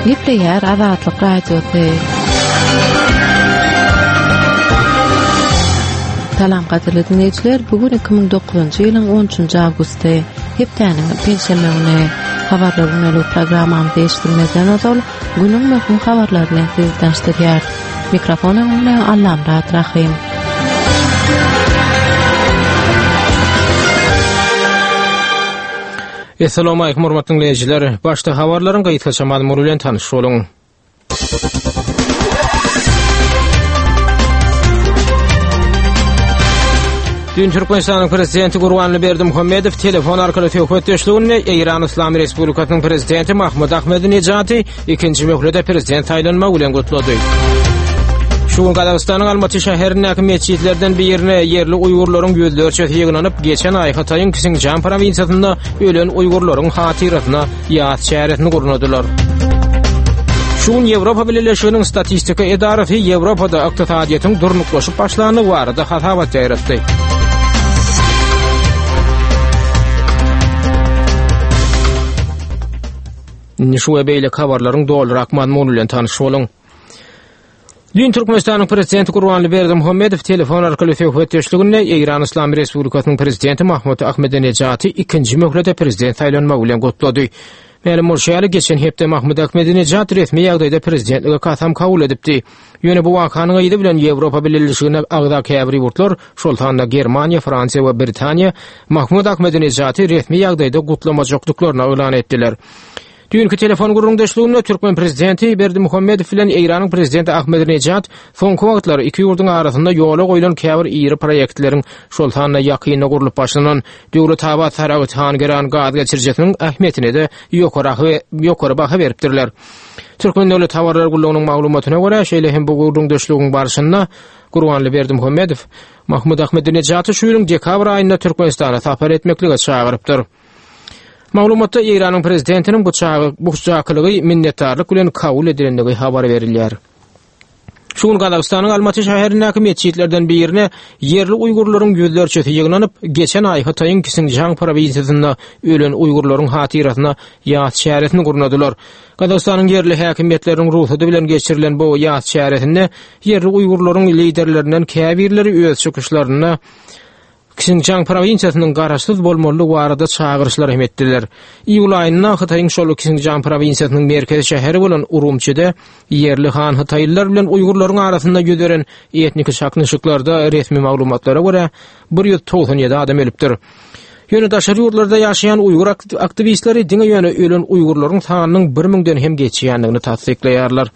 Gepleýär Azatlyk Radiosy. Salam gadyrly diňleýjiler, bu gün 2009-njy ýylyň 13-nji awgusty, hepdäniň penşenbe güni. Habarlar gündelik programmamyzy eşitmezden ozal, günüň möhüm habarlary bilen sizi tanyşdyrýarys. Mikrofon öňünde Allamyrat Rahym. Essalamu aleýkum hormatly diňleýjiler. Başda habarlaryň gysgaça mazmuny bilen tanyş boluň. Dün Türkmenistanyň Prezidenti Gurbanly Berdimuhamedow telefon arkaly söhbetdeşliginde Eýran Yslam Respublikasynyň Prezidenti Mahmud Ahmedinejady ikinji möhlete prezident saýlanmagy bilen gutlady. Şu gün Gazagystanyň Almaty şäherindäki metjitlerden birine ýerli uýgurlaryň ýüzlerçesi ýygnanyp, geçen aý Hytaýyň Sinjan prowinsiýasynda ölen uýgurlaryň hatyrasyna ýas çäresini gurnadylar. Şu gün Ýewropa Bileleşiginiň statistika edarasy Ýewropada ykdysadyýetiň durnuklaşyp başlandygy barada hasabat ýaýratdy. Indi şu we beýleki habarlaryň dolurak mazmuny bilen tanyş boluň. Düýn Türkmenistanyň Prezidenti Gurbanly Berdimuhamedow telefon arkaly söhbetdeşliginde Eýran Yslam Respublikasynyň Prezidenti Mahmud Ahmedinejaty ikinji möhlete prezident saýlanmagy bilen gutlady. Mälim bolşy ýaly, geçen hepde Mahmud Ahmedinejad resmi ýagdaýda prezidentlige kasam kabul edipdi. Ýöne bu wakanyň yzy bilen Ýewropa Bileleşigine agza käbir ýurtlar, şol sanda Germaniýa, Fransiýa we Britaniýa Mahmud Ahmedinejaty resmi ýagdaýda gutlamajakdyklaryny yglan etdiler. Düýnki telefon gürrüňdeşliginde türkmen prezidenti Berdimuhamedow bilen Eýranyň prezidenti Ahmedinejad soňky wagtlar iki ýurduň arasynda ýola goýlan käbir iri proýektleriň, şol sanda ýakynda gurlup başlanan Döwletabat-Saragt-Hangeran gaz geçirijisiniň ähmiýetine-de ýokary baha beripdirler. Türkmen döwlet habarlar gullugynyň maglumatyna görä, şeýle hem bu gürrüňdeşligiň barşynda Gurbanly Berdimuhamedow Mahmud Ahmedinejaty şu ýylyň dekabr aýynda Türkmenistana sapar etmeklige çagyrypdyr. Maglumatda Eýranyň prezidentiniň bu bu çakylygy minnetdarlyk bilen kabul edilendigi habar berilýär. Şu gün Gazagystanyň Almaty şäherindäki metjitlerden birine ýerli uýgurlaryň ýüzlerçesi ýygnanyp, geçen aý Hytaýyň Sinjiang prowinsiýasynda ölen uýgurlaryň hatyrasyna ýas çäresini gurnadylar. Gazagystanyň ýerli häkimiýetleriniň rugsady bilen geçirilen bu ýas çäresinde ýerli uýgurlaryň liderlerinden käbirleri öz çykyşlarynda Sinjiang prowinsiýasynyň garaşsyz bolmalydygy barada çagyryşlar hem etdiler. Iýul aýynda Hytaýyň şol Sinjiang prowinsiýasynyň merkezi şäheri bolan Urumçide ýerli han hytaýlylar bilen uýgurlaryň arasynda ýüz beren etniki çaknyşyklarda resmi maglumatlara görä 197 adam ölüpdir. Ýöne daşary ýurtlarda ýaşaýan uýgur aktiwistleri diňe ýöne ölen uýgurlaryň sanynyň bir müňden hem geçýändigini tassyklaýarlar.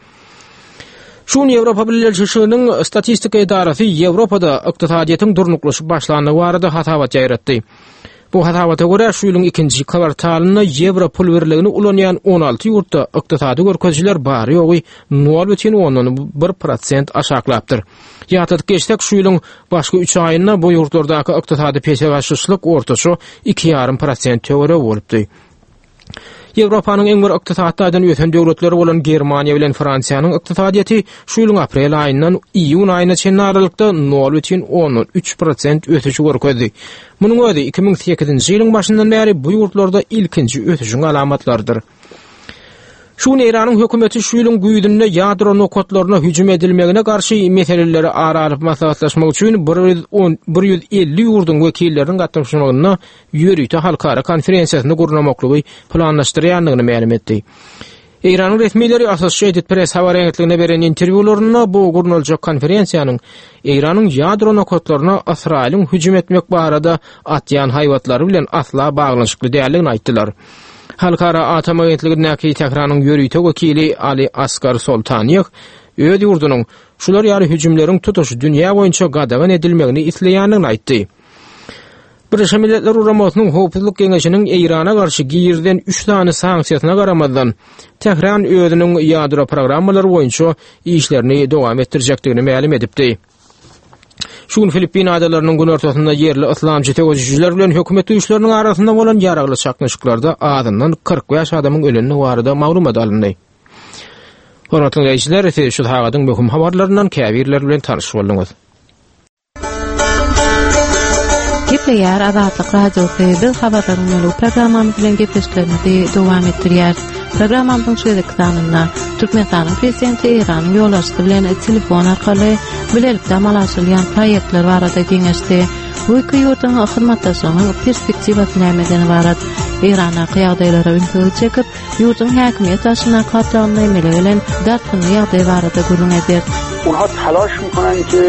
Şu gün Ýewropa Bileleşiginiň statistika edarasy Ýewropada ykdysadyýetiň durnuklaşyp başlandygy barada hasabat ýaýratdy. Bu hasabata görä, şu ýylyň ikinji kwartalynda ýewro pul birligini ulanýan 16 ýurtda ykdysady görkezijiler bary-ýogy 0,1 prosent aşaklapdyr. Ýatladyp geçsek, şu ýylyň başky üç aýynda bu ýurtlardaky ykdysady pese gaçyşlyk ortaça 2,5 prosent töweregi bolupdy. Ýewropanyň iň bir ykdysady taýdan ösen döwletleri bolan Germaniýa bilen Fransiýanyň ykdysadyýeti şu ýylyň aprel aýyndan iýun aýyna çenli aralykda 0,3 prosent ösüşi görkezdi. Munuň özi 2008-nji ýylyň başyndan bäri bu ýurtlarda ilkinji ösüşiň alamatlarydyr. Şu gün Eýranyň hökümeti şu ýylyň güýzünde ýadro nokatlaryna hüjüm edilmegine garşy meseleleri ara alyp maslahatlaşmak üçin 150 ýurduň wekilleriniň gatnaşmagynda ýörite halkara konferensiýasyny gurnamaklygy planlaşdyrýandygyny mälim etdi. Eýranyň resmileri Associated Press habar agentligine beren interwýularynda bu gurnaljak konferensiýanyň Eýranyň ýadro nokatlaryna Ysraýylyň hüjüm etmek barada atýan haýbatlary bilen asla baglanyşykly däldigini aýtdylar. Halkara atom agentligindäki Tähranyň ýörite wekili Ali Asgar Soltaniýeh öz ýurdunyň şular ýaly hüjümleriň tutuş dünýä boýunça gadagan edilmegini isleýändigini aýtdy. Birleşen Milletler Guramasynyň Howpsuzlyk Geňeşiniň Eýrana garşy girizen üç sany sanksiýasyna garamazdan, Tähran özüniň ýadro programmalary boýunça işlerini dowam etdirjekdigini mälim edipdi. Şu gün Filippin adalarynyň günortasynda ýerli yslamçy söweşijiler bilen hökümet güýçleriniň arasynda bolan ýaragly çaknyşyklarda azyndan 45 adamyň ölendigi barada maglumat alyndy. Hormatly diňleýjiler, siz şu sagadyň möhüm habarlaryndan käbirleri bilen tanyş bolduňyz. Gepleýär Azatlyk Radiosy. Biz habarlaryň ýoly programmamyz bilen gepleşiklerimizi dowam etdirýäris. Programmamyzyň şu gezekki sanynda Türkmenistanyň Prezidenti Eýranyň ýolbaşçysy bilen telefon arkaly bilelikde amala aşyrylýan proýektler barada geňeşdi. Bu iki ýurduň hyzmatdaşlygynyň perspektiwasy nämeden ybarat? Eýrandaky ýagdaýlara ünsüňizi çekip, ýurduň häkimiýet başyndaky gatlagynda emele gelen dartgynly ýagdaý barada gürrüň ederis. Onha talaş mikonan ki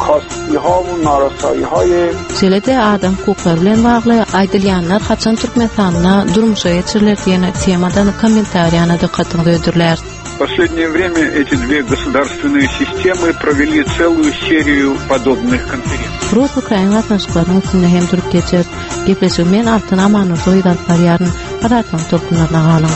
kastiha we narasaýihaýe Şeýle-de adam hukuklary bilen bagly aýdylýanlar haçan Türkmenistanda durmuşa geçiriler diýen temadan kommentariýany dykgatyňyza hödürläris. В последнее время эти две государственные системы провели целую серию подобных конференций. Rus-ukrain gatnaşyklarynyň üstünde hem durup geçeris. Gepleşigi men Altyn Amanurdyýewa alyp barýaryn. Azatlygyň tolkunlaryna galyň.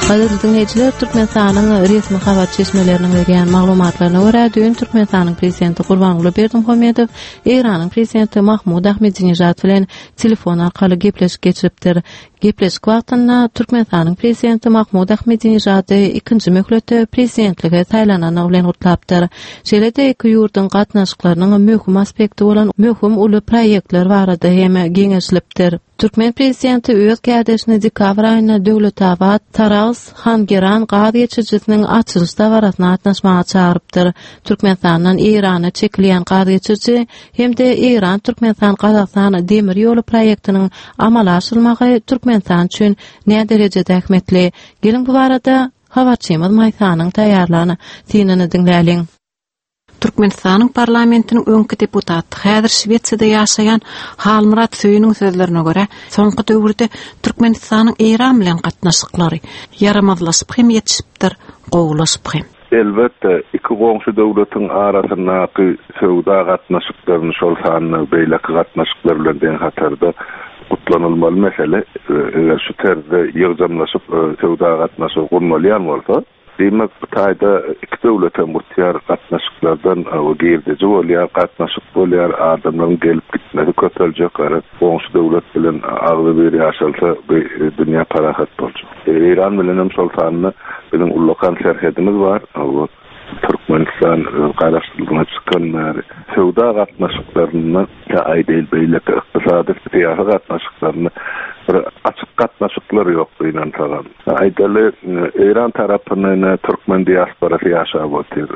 Gadyrly diňleýjiler, Türkmenistanyň resmi habar çeşmeleriniň berýän maglumatlaryna görä, düýn Türkmenistanyň Prezidenti Gurbanguly Berdimuhamedow Eýranyň Prezidenti Mahmud Ahmedinejad bilen telefon arkaly gepleşik geçiripdir. Gepleşik wagtynda Türkmenistanyň Prezidenti Mahmud Ahmedinejady ikinji möhletde prezidentlige saýlanandygy bilen gutlapdyr. Şeýle-de iki ýurduň gatnaşyklarynyň möhüm aspekti bolan möhüm uly proýektler barada hem geňeşilipdir. Türkmen prezidenti öz kärdeşini dekabr aýynda Döwletabat, Sarahs, Hangeran gaz geçirijisiniň açylyş dabarasyna gatnaşmaga çagyrypdyr. Türkmenistandan Eýrana çekilýän gaz geçiriji hem-de Eýran-Türkmenistan-Gazagystan demir ýoly proýektiniň amala aşyrylmagy Türkmenistan üçin näderejede ähmiýetli? Geliň bu barada habarçymyz Maýsanyň taýýarlan synyny diňläliň. Türkmenistanyň parlamentiniň öňki deputaty, häzir Şwesiýada ýaşaýan Halmyrat Söýüniň sözlerine görä, soňky döwürde Türkmenistanyň Eýran bilen gatnaşyklary ýaramazlaşyp hem ýetişipdir, gowulaşyp hem. Elbetde, iki goňşy döwletiň arasyndaky söwda gatnaşyklaryny, şol sanda beýleki gatnaşyklar bilen deň hatarda gutlanylmaly mesele. Eger şu terzde ýygjamlaşyp söwda gatnaşygy gurnalýan bolsa, Diýmek, bu taýda iki döwlet hem utýar, gatnaşyklardan girdeji bolýar, gatnaşyk bolýar, adamlaryň gelip-gitmesi köpeljek, garaz, goňşy döwlet bilen agzybir ýaşalsa, bu dünýä parahat boljak. Eýran bilen hem şol sanda biziň ullakan serhedimiz bar. Türkmenistan garaşsyzlygyna çykan bäri söwda gatnaşyklarynda, ýa aýdaýyl beýleki ykdysady, syýasy gatnaşyklarynda bir açyk gatnaşyklar ýok gynansagam. Aýdaly, Eýran tarapynda ine türkmen diasporasy ýaşap otyr.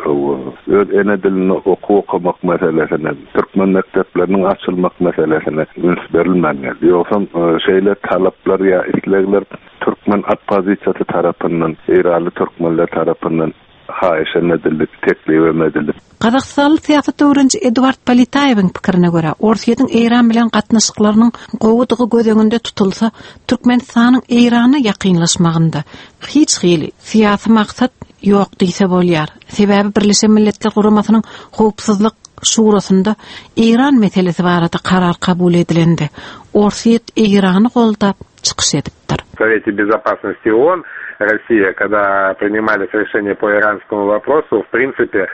Öz ene dilinde okuw okamak meselesine, türkmen mekdepleriniň açylmak meselesine üns berilmän geldi. Ýogsam şeýle talaplar ýa islegler türkmen oppozisiýasy tarapyndan, eýranly türkmenler tarapyndan haýyş hem edildi, teklip hem edildi. Gazagystanly syýasat öwreniji Eduard Politaýewiň pikirine görä, Orsýetiň Eýran bilen gatnaşyklarynyň gowudygy göz öňünde tutulsa, Türkmenistanyň Eýrana ýakynlaşmagynda hiç hili syýasy maksat ýok diýse bolýar. Sebäbi Birleşen Milletler Guramasynyň Howpsuzlyk Şurasynda Eýran meselesi barada karar kabul edilende, Orsýet Eýrany goldap çykyş edipdir. В Совете Безопасности ООН Россия, когда принимались решения по иранскому вопросу, в принципе,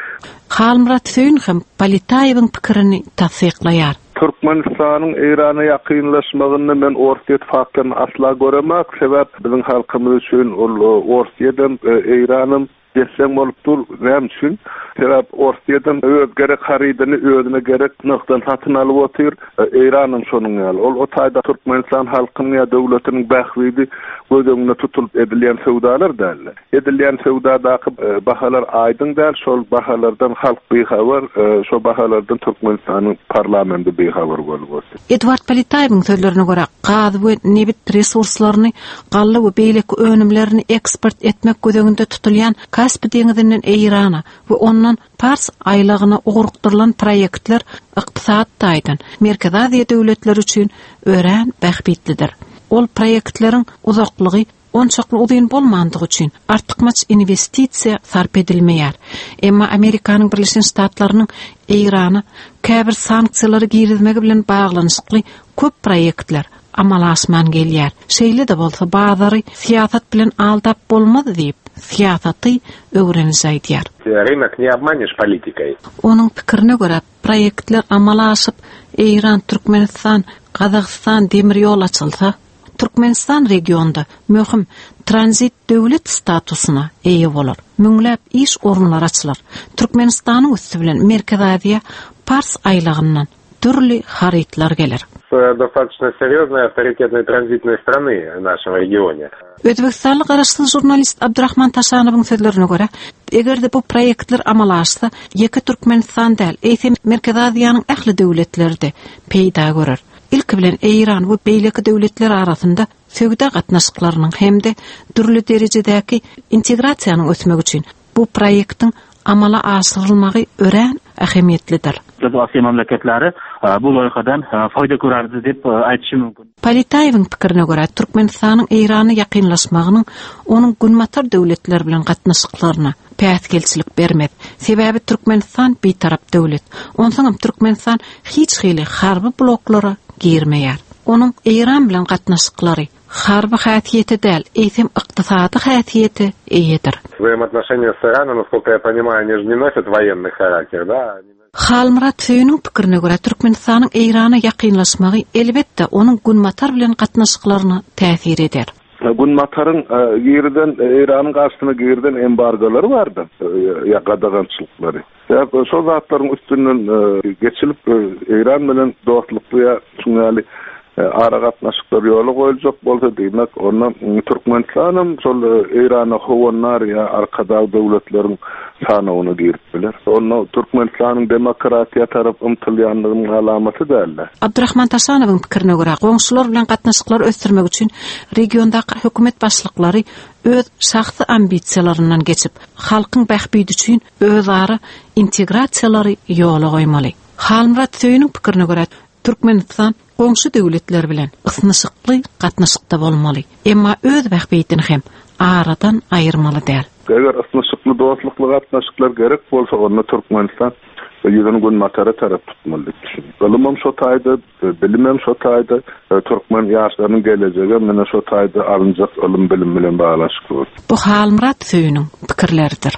Halmyrat Söýün hem Politaýewiň pikirini tassyklaýar. Türkmenistanyň Eýrana ýakynlaşmagynda men Orsýet faktoryny asla göremok. Sebäp biziň halkymyz üçin ol Orsýedem, Eýranam Desseň bolup dur. Näme üçin? Sebäp Orsýedem öz gerek harydyny özüne gerek nyrhdan satyn alyp otyr. Eýranam şonuň ýaly. Ol o taýda Türkmenistan halkynyň ýa döwletiniň bähbidi göz öňünde tutulyp edilýän söwdalar däldi. Edilýän söwdadaky bahalar aýdyň däl, şol bahalardan halk bihabar, şo bahalardan Türkmenistanyň parlamendi bihabar bolup otyr. Eduard Politaýewiň sözlerine görä, gaz we nebit resurslaryny, galla we beýleki önümlerini eksport etmek göz öňünde tutulýan Kaspi deňizinden Eýrana we ondan Pars aýlagyna ugrukdyrylan proýektler ykdysady taýdan Merkezi Aziýa döwletleri üçin örän bähbitlidir. Ol proýektleriň uzaklygy onçakly uzyn bolmandygy üçin artykmaç inwestisiýa sarp edilmeýär. Emma Amerikanyň Birleşen Ştatlarynyň Eýrana käbir sanksiýalary girizmegi bilen baglanyşykly köp proýektler amala aşman gelýär. Şeýle-de bolsa bazary syýasat bilen aldap bolmaz diýip, syýasaty öwreniji aýdýar. Rynok ne obmanешь politikoý. Onuň pikirine görä, proýektler amala aşyp, Eýran, Türkmenistan, Gazagystan demir ýol açylsa, Türkmenistan regionda möhüm tranzit döwlet statusyna eýe bolar, müňläp iş orunlary açylar. Türkmenistanyň üsti bilen Merkezi Aziýa Pars aýlagyndan dürli harytlar geler. достаточно серьезной авторитетной транзитной страны в нашем регионе. Özbegistanly garaşsyz žurnalist Abdurahman Taşanowyň sözlerine görä, eger-de bu proýektler amala aşsa, ýeke Türkmenistan däl, eýsem Merkezi Aziýanyň ähli döwletleri-de peýda görer. Ilki bilen Eýran we beýleki döwletler arasynda söwda gatnaşyklarynyň hem-de dürli derejedäki integrasiýanyň ösmegi üçin bu proýektiň amala aşyrylmagy örän ähemiýetlidir. Biz Aziýa memleketleri bu loýhadan foýda görerdi diýip aýdyşym mümkin. Politaýewiň pikirine görä, Türkmenistanyň Eýrana ýakynlaşmagynyň onuň Günbatar döwletleri bilen gatnaşyklaryna päsgelçilik bermez. Sebäbi Türkmenistan bitarap döwlet. Onsoňam Türkmenistan hiç hili harby bloklara girmeýär. Onuň Eýran bilen gatnaşyklary harby häsiýete däl, eýsem ykdysady häsiýete eýedir. Взаимоотношения с Ираном, насколько я понимаю, они же не носят военный характер, да? Halmyrat Söýüniň pikirine görä, Türkmenistanyň Eýrana ýakynlaşmagy, elbetde, onuň Günbatar bilen gatnaşyklaryna täsir eder. Günbataryň girizen, Eýranyň garşysyna girizen embargolary bardy, ýa gadagançylyklary. Sebäp şol zatlaryň üstünden geçilip, Eýran bilen dostlukly ýa şuň ýaly aragatnaşyklar ýola goýuljak bolsa, diýmek, onda Türkmenistanam şol Eýrana howandar ýa arkadag döwletleriň sanawyna girip biler. Onda Türkmenistanyň demokratiýa tarap ymtylýandygynyň alamaty däl-de. Abdurahman Taşanowyň pikirine görä, goňşular bilen gatnaşyklary ösdürmek üçin regiondaky hökümet başlyklary öz şahsy ambisiýalaryndan geçip, halkyň bähbidi üçin özara integrasiýalary ýola goýmaly. Halmyrat Söýüniň pikirine görä, Türkmenistan goňşy döwletler bilen ysnyşykly gatnaşykda bolmaly, emma öz bähbidini hem aradan aýyrmaly däl. Eger ysnyşykly, dostlukly gatnaşyklar gerek bolsa, onda Türkmenistan ýüzüni Günbatara tarap tutmaly diýip düşünýän. Ylymam şo taýda, bilimem şo taýda, türkmen ýaşlarynyň gelejegem mine şo taýda alynjak ylym-bilim bilen baglanyşykly bolar. Bu Halmyrat Söýüniň pikirleridir.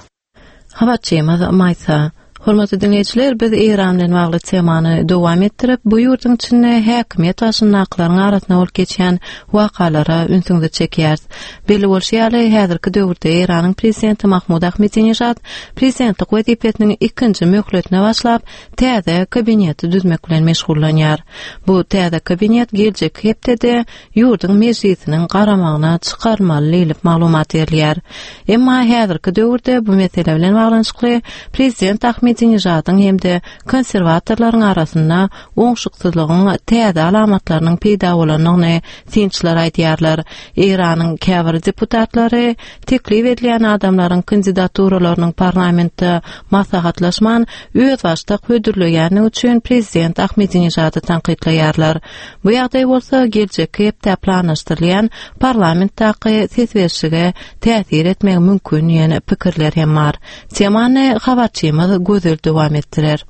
Habarçymyz Maýsa. Hormatly diňleýjiler, biz Eýran bilen bagly temany dowam etdirip, bu ýurduň içinde häkimiýet başyndakylaryň arasynda bolup geçýän wakalara ünsüňizi çekýäris. Belli bolşy ýaly, häzirki döwürde Eýranyň prezidenti Mahmud Ahmedinejad prezidentlik wezipesiniň ikinji möhletine başlap, täze kabineti düzmek bilen meşgullanýar. Bu täze kabinet geljekki hepdede ýurduň Mejlisiniň garamagyna çykarylmaly diýlip maglumat berilýär. Emma häzirki döwürde bu mesele bilen baglanyşykly prezident Ahmedinejadyň hem-de konserwatorlaryň arasynda oňşuksyzlygyň täze alamatlarynyň peýda bolandygyny synçylar aýdýarlar. Eýranyň käbir deputatlary teklip edilýän adamlaryň kandidaturalarynyň parlamentde maslahatlaşman, özbaşdak hödürleýändigi üçin prezident Ahmedinejady tankytlaýarlar. Bu ýagdaý bolsa geljekki hepdä planlaşdyrylýan parlamentdaky ses berişlige täsir etmegi mümkin diýen pikirler hem bar. Temany habarçymyz Gözel dowam etdirer.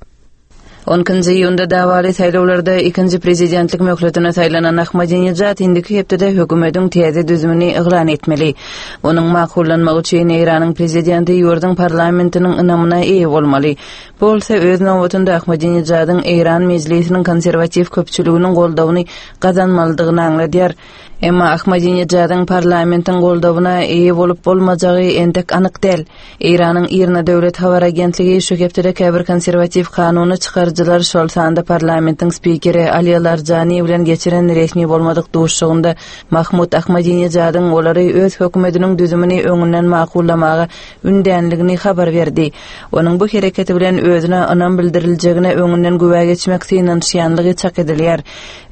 On ikinji iýunda dawaly saýlawlarda ikinji prezidentlik möhletine saýlanan Ahmadinejad indiki hepdede hökümetiň täze düzümini yglan etmeli. Onuň makullanmagy üçin Eýranyň prezidenti ýurduň parlamentiniň ynamyna eýe bolmaly. Bu bolsa öz nobatynda Ahmadinejadyň Eýran mejlisiniň konserwatiw köpçüliginiň goldawyny gazanmalydygyny aňladýar. Emma Ahmadinejadyň parlamentiň goldawyna eýe bolup bolmajagy entek anyk däl. Eýranyň IRNA döwlet habar agentligi şu hepdede käbir konserwatiw kanuny çykaryjylar, şol sanda parlamentiň spikeri Ali Larjani bilen geçiren resmi bolmadyk duşuşygynda Mahmud Ahmadinejadyň olary öz hökümetiniň düzümini öňünden makullamaga ündänligini habar berdi. Onuň bu hereketi bilen özüne ynam bildiriljegine öňünden güwä geçmek synanyşýanlygy çak edilýär.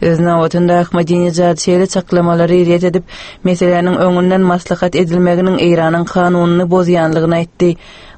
Öz nobatynda Ahmadinejad şeýle çaklamalary ret edip, meseläniň öňünden maslahat edilmeginiň Eýranyň kanunyny bozýanlygyny aýtdy.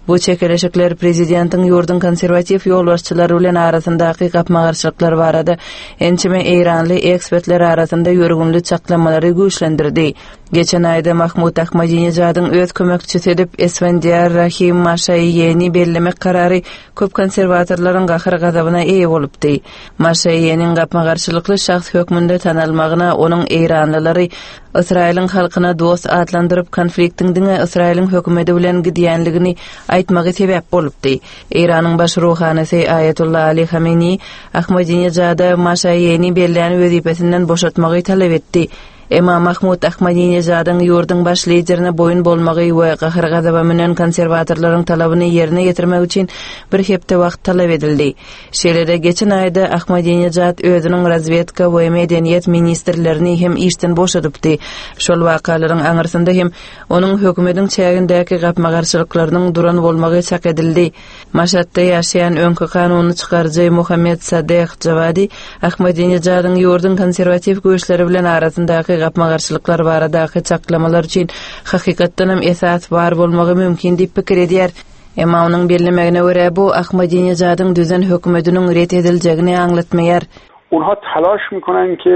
Bu çekeleşikler prezidentiň ýurduň konserwatiw ýolbaşçylary bilen arasyndaky gapma-garşylyklar barada ençeme eýranly ekspertler arasynda ýörgünli çaklamalary güýçlendirdi. Geçen aýda Mahmud Ahmadinejadyň öz kömekçisi edip Esfendiýar Rahim Maşaýeni bellemek karary köp konserwatorlaryň gahar-gazabyna eýe bolupdy. Maşaýeniň gapma-garşylykly şahs hökmünde tanalmagyna onuň eýranlylary Ysraýylyň halkyna dost atlandyryp, konfliktiň diňe Ysraýylyň hökümeti bilen gidýänligini aýtmagy sebäp bolupdy. Eýranyň baş ruhanysy Aýatolla Ali Hameneý Ahmadinejada Maşaýeni bellän wezipesinden boşatmagy talap etdi. Emma Mahmud Ahmadinejadyň ýurduň baş liderine boýun bolmagy we gahar-gazaba münen konserwatorlaryň talabyny ýerine ýetirmek üçin bir hepde wagt talap edildi. Şeýle-de, geçen aýda Ahmadinejad özüniň razwedka we medeniýet ministrlerini hem işden boşadypdy. Şol wakalaryň aňyrsynda hem onuň hökümetiň çägindäki gapma-garşylyklarynyň duran bolmagy çak edildi. Maşatda ýaşaýan öňki kanuny çykaryjy Muhammet Sadeh Jawadi Ahmadinejadyň ýurduň konserwatiw güýçleri bilen arasyndaky gapma-garşylyklar baradaky çaklamalar üçin hakykatdanam esas bar bolmagy mümkin diýip pikir edýär. Emma onuň bellemegine görä, bu Ahmadinejadyň düzen hökümetiniň ret ediljegini aňlatmaýar. Onha talaş mikonan ki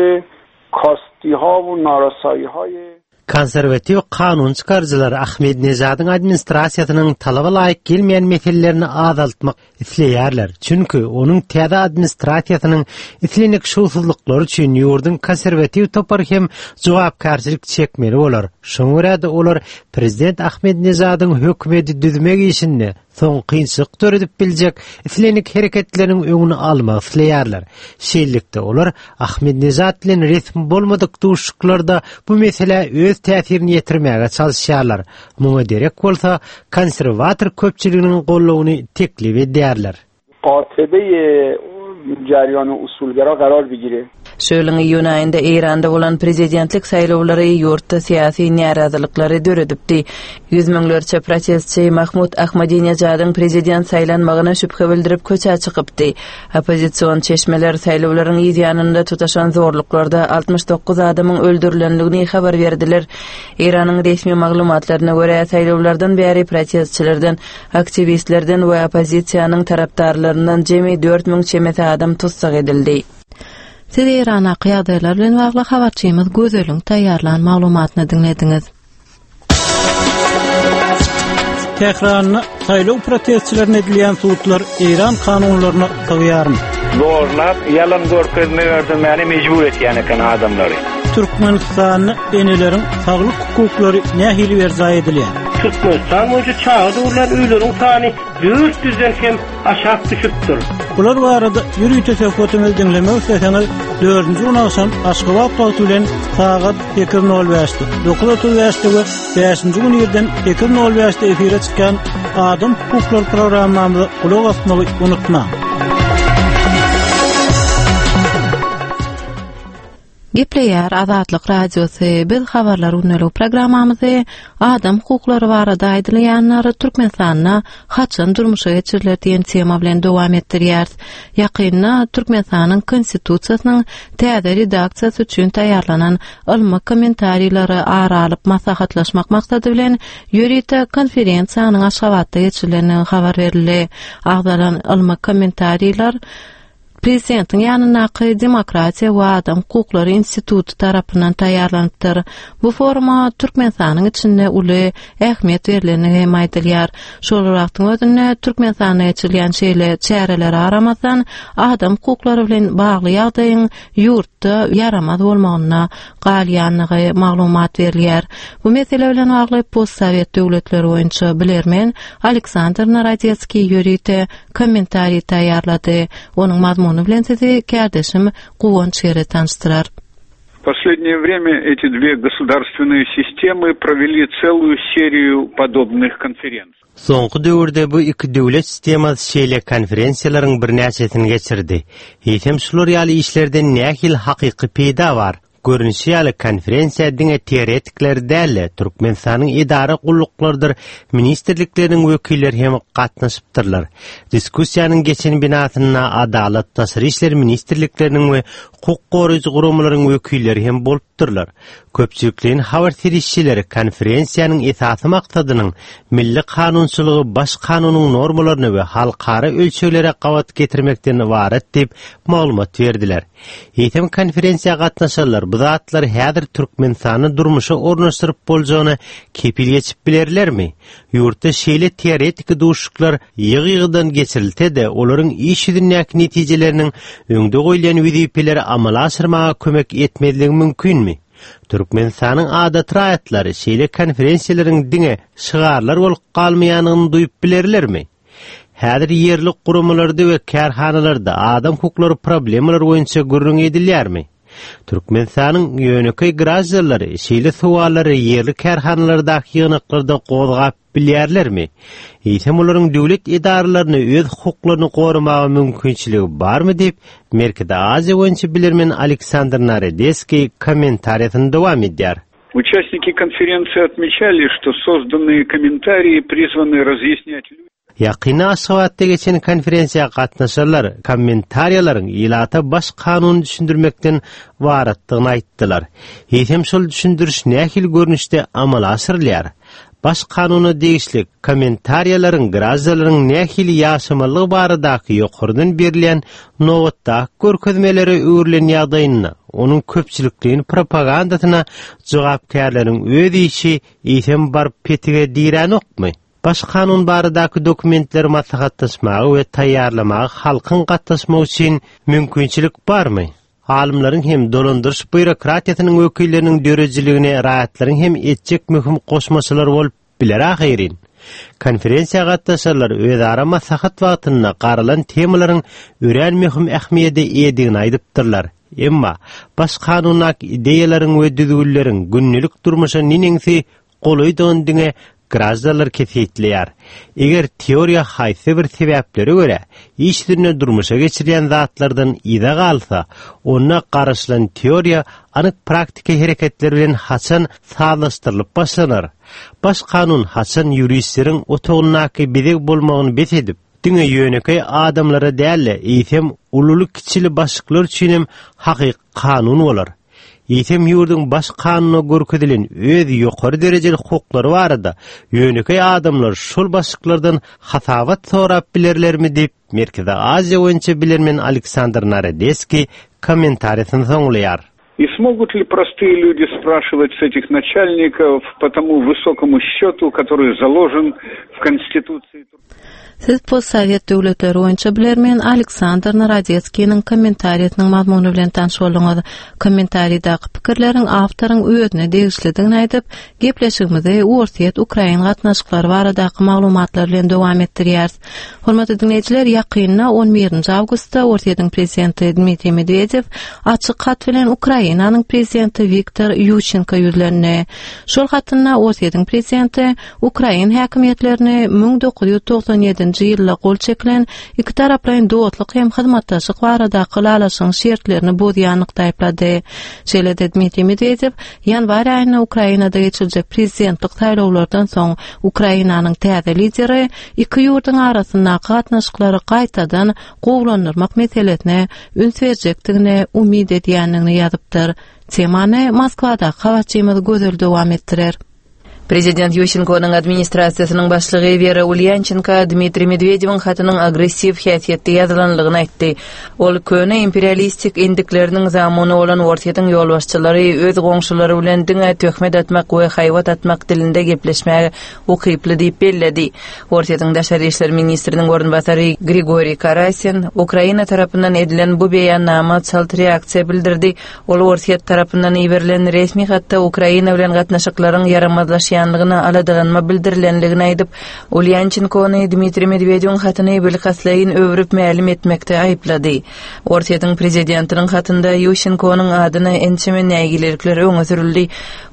kastiha we narasayihaye. Konserwatiw kanun çykaryjylar Ahmedinejadyň administrasiýasynyň talaba laýyk gelmeýän meselelerini azaltmak isleýärler, çünki onuň täze administrasiýasynyň islendik şowsuzlyklary üçin ýurduň konserwatiw topary hem jogapkärçilik çekmeli bolar. Şoňa görä-de olar prezident Ahmedinejadyň hökümeti düzmek işinde soň kynçylyk döredip biljek islendik hereketleriniň öňüni almak isleýärler. Şeýlelikde, olar Ahmedinejad bilen resmi bolmadyk duşuşyklarda bu meselä öz täsirini ýetirmäge çalyşýarlar. Muňa derek bolsa, konserwator köpçüliginiň goldawyny teklip edýärler. Gatybeýi jariýany usulgera garar bigire. Şu ýylyň iýun aýynda Eýranda bolan prezidentlik saýlawlary ýurtda syýasy närazylyklary döredipdi. Ýüz müňlerçe protestçi Mahmud Ahmadinejadyň prezident saýlanmagyna şübhe bildirip köçä çykypdy. Oppozision çeşmeler saýlawlaryň yz ýanynda tutaşan zorluklarda 69 adamyň öldürilendigini habar berdiler. Eýranyň resmi maglumatlaryna görä, saýlawlardan bäri protestçilerden Aktiwistlerden we oppozisiýanyň tarapdarlaryndan jemi 4000 çemesi adam tussag edildi. Siz Eýrandaky ýagdaýlar bilen bagly habarçymyz Gözeliň taýýarlan maglumatyny diňlediňiz. Tähranda saýlaw protestçilerine edilýän sudlar Eýran kanunlaryna sygýarmy? Zorlap, ýalan görkezme berdirmäne mejbur etýän eken adamlary. Türkmenistanda eneleriň saglyk hukuklary nähili berjaý edilýär? Türkmenistan boýunça çaga dogulýan öýleriň sany 400 den hem aşak düşüpdir. Bular barada ýörite söhbetimizi diňlemek isleseňiz, dördünji gün agşam Aşgabat wagty bilen sagat 8:05-de, 9:35-de we bäşinji gün irden 8:05-de efire çykýan Adam hukuklary programmamyza gulak asmagy unutmaň. Gepleýär Azatlyk Radiosy, biz Habarlar gündelik programmamyzy Adam hukuklary barada aýdylýanlar Türkmenistanda haçan durmuşa geçiriler diýen tema bilen dowam etdirýäris. Ýakynda Türkmenistanyň Konstitusiýasynyň täze redaksiýasy üçin taýýarlanan ylmy kommentariýleri ara alyp maslahatlaşmak maksady bilen ýörite konferensiýanyň Aşgabatda geçirilendigi habar berildi. Agzalan ylmy kommentariýler Prezidentiň ýanyndaky Demokratiýa we adam hukuklary instituty tarapyndan taýýarlanypdyr. Bu foruma Türkmenistanyň içinde uly ähmiýet berlendigi hem aýdylýar. Şol bir wagtyň özünde Türkmenistanda geçirilýän şeýle çärelere garamazdan, adam hukuklary bilen bagly ýagdaýyň ýurtda ýaramaz bolmagynda galýandygy maglumat berilýär. Bu mesele bilen bagly postsowet döwletleri boýunça bilermen Aleksandr Narodetskiý ýörite kommentariý taýýarlady. Onuň mazmuny bilen sizi kärdeşim Guwanç Gere tanyşdyrar. В последнее время эти две государственные системы провели целую серию подобных конференций. Soňky döwürde bu iki döwlet sistemasy şeýle konferensiýalaryň birnäçesini geçirdi. Eýsem şular ýaly işlerden nähili hakyky peýda bar? Görnüşi ýaly, konferensiýa diňe teoretikler däl-de, Türkmenistanyň edara gulluklarydyr ministrlikleriniň wekilleri hem gatnaşypdyrlar. Diskussiýanyň geçen binasynda Adalat, Daşary işler ministrlikleriniň we hukuk goraýjy guramalaryň wekilleri hem bolupdyrlar. Köpçülikleýin habar serişdeleri konferensiýanyň esasy maksadynyň milli kanunçylygy Baş kanunyň normalaryna we halkara ölçeglere gabat getirmekden ybarat diýip maglumat berdiler. Eýsem konferensiýa gatnaşanlar bu zatlary häzir Türkmenistanda durmuşa ornaşdyryp boljagyna kepil geçip bilerlermi? Ýurtda şeýle teoretiki duşuşyklar ýygy-ýygydan geçirilse-de, olaryň iş ýüzündäki netijeleriniň öňde goýulýan wezipeleri amala aşyrmaga kömek etmezligi mümkinmi? Türkmenistanyň adaty raýatlary şeýle konferensiýalaryň diňe şygarlar bolup galmaýandygyny duýup bilerlermi? Häzir ýerli guramalarda we kärhanalarda adam hukuklary problemalary boýunça gürrüň edilýärmi? Türkmenistanyň ýönekeý graždanlary şeýle sowallary ýerli kärhanalardaky ýygnaklarda gozgap bilýärlermi? Eýsem olaryň döwlet edaralaryna öz hukuklaryny goramaga mümkinçiligi barmy diýip, Merkezi Aziýa boýunça bilermen Aleksandr Narodeskiý kommentariýasyny dowam edýär. Участники конференции отмечали, что созданные комментарии призваны разъяснять людям, Ýakynda Aşgabatda geçen konferensiýa gatnaşanlar kommentariýalaryň ilata baş kanuny düşündirmekden ybaratdygyny aýtdylar. Eýsem şol düşündiriş nähili görnüşde amala aşyrylýar? Baş kanuna degişli kommentariýalaryň graždanlaryň nähili ýaşamalydygy baradaky ýokardan berilýän nobatdaky görkezmelere öwrülen ýagdaýynda onuň köpçülikleýin propagandasyna jogapkärleriň öz işi eýsem baryp petige diränokmy? Baş kanun baradaky dokumentleri maslahatlaşmaga we taýýarlamaga halkyň gatnaşmagy üçin mümkinçilik barmy? Alymlaryň hem dolandyryş býurokratiýasynyň wekilleriniň döredijiligine raýatlaryň hem etjek möhüm goşmaçalary bolup biler ahyryn. Konferensiýa gatnaşanlar özara maslahat wagtynda garalan temalaryň örän möhüm ähmiýede eýedigini aýdypdyrlar. Emma Baş kanundaky ideýalaryň we düzgünleriň gündelik durmuşa neneňsi golaýdygyny diňe graždanlar kesgitleýär. Eger teoriýa haýsy bir sebäplere görä, iş ýüzünde durmuşa geçirilýän zatlardan yza galsa, onda garaşylan teoriýa anyk praktiki hereketler bilen haçan sazlaşdyrylyp başlanar? Baş kanun haçan ýuristleriň otagyndaky bezeg bolmagyny bes edip, diňe ýönekeý adamlara däl-de, eýsem, ululy-kiçili başlyklar üçinem hakyky kanun bolar? Eýsem ýurduň Baş kanunda görkezilen öz ýokary derejeli hukuklary barada ýönekeý adamlar şol başlyklardan hasabat sorap bilerlermi diýip, Merkezi Aziýa boýunça bilermen Aleksandr Narodeskiý kommentariýasyny soňlaýar. И смогут ли простые люди спрашивать с этих начальников по тому высокому счету, который заложен в Конституции? Siz postsowet döwletleri boýunça bilermen Aleksandr Narodetskiniň kommentariýasynyň mazmuny bilen tanyş bolduňyz. Kommentariýadaky pikirleriň awtoryň özüne degişlidigini aýdyp, gepleşigimizi Orsýet-Ukrain gatnaşyklary baradaky maglumatlar bilen dowam etdirýäris. Hormatly diňleýjiler, ýakynda on birinji awgustda Orsýetiň prezidenti Dmitriý Medwedew açyk hat bilen Ukrainanyň prezidenti Wiktor Ýuşenko ýüzlendi. Şol hatynda Orsýetiň prezidenti Ukrain häkimiýetlerini 1997-nji ýylda gol çekilen ikitaraplaýyn dostluk hem hyzmatdaşlyk baradaky ylalaşygyň şertlerini bozýanlykda aýyplady. Şeýle-de Dmitriý Medwedew ýanwar aýynda Ukrainada geçiriljek prezidentlik saýlawlardan soň Ukrainanyň täze lideri iki ýurduň arasyndaky gatnaşyklary gaýtadan gowulandyrmak meselesine üns berjekdigine umyt edýändigini ýazypdyr. Temany Moskwadaky habarçymyz Gözel dowam etdirer. Prezident Ýuşenkonyň administrasiýasynyň başlygy Wera Ulýançenko Dmitriý Medwedewiň hatynyň agressiw häsiýetde ýazylanlygyny aýtdy. Ol köne imperialistik endikleriniň zamuny bolan Orsýetiň ýolbaşçylary öz goňşulary bilen diňe töhmet atmak we haýbat atmak dilinde gepleşmäge ukyply diýip belledi. Orsýetiň daşary işler ministriniň orunbasary Grigoriý Karasin Ukraina tarapyndan edilen bu beýannama çalt reaksiýa bildirdi, Ol Orsýet tarapyndan iberilen resmi hatda Ukraina bilen gatnaşyklaryň ýaramazlaşýanlygyna aladalanma bildirilenligini aýdyp, Ulýançenkony Dmitriý Medwedewiň hatyny bilkastlaýyn öwrüp mälim etmekde aýyplady. Orsýetiň prezidentiniň hatynda Ýuşenkonyň adyna ençeme nägilelikler öňe sürüldi.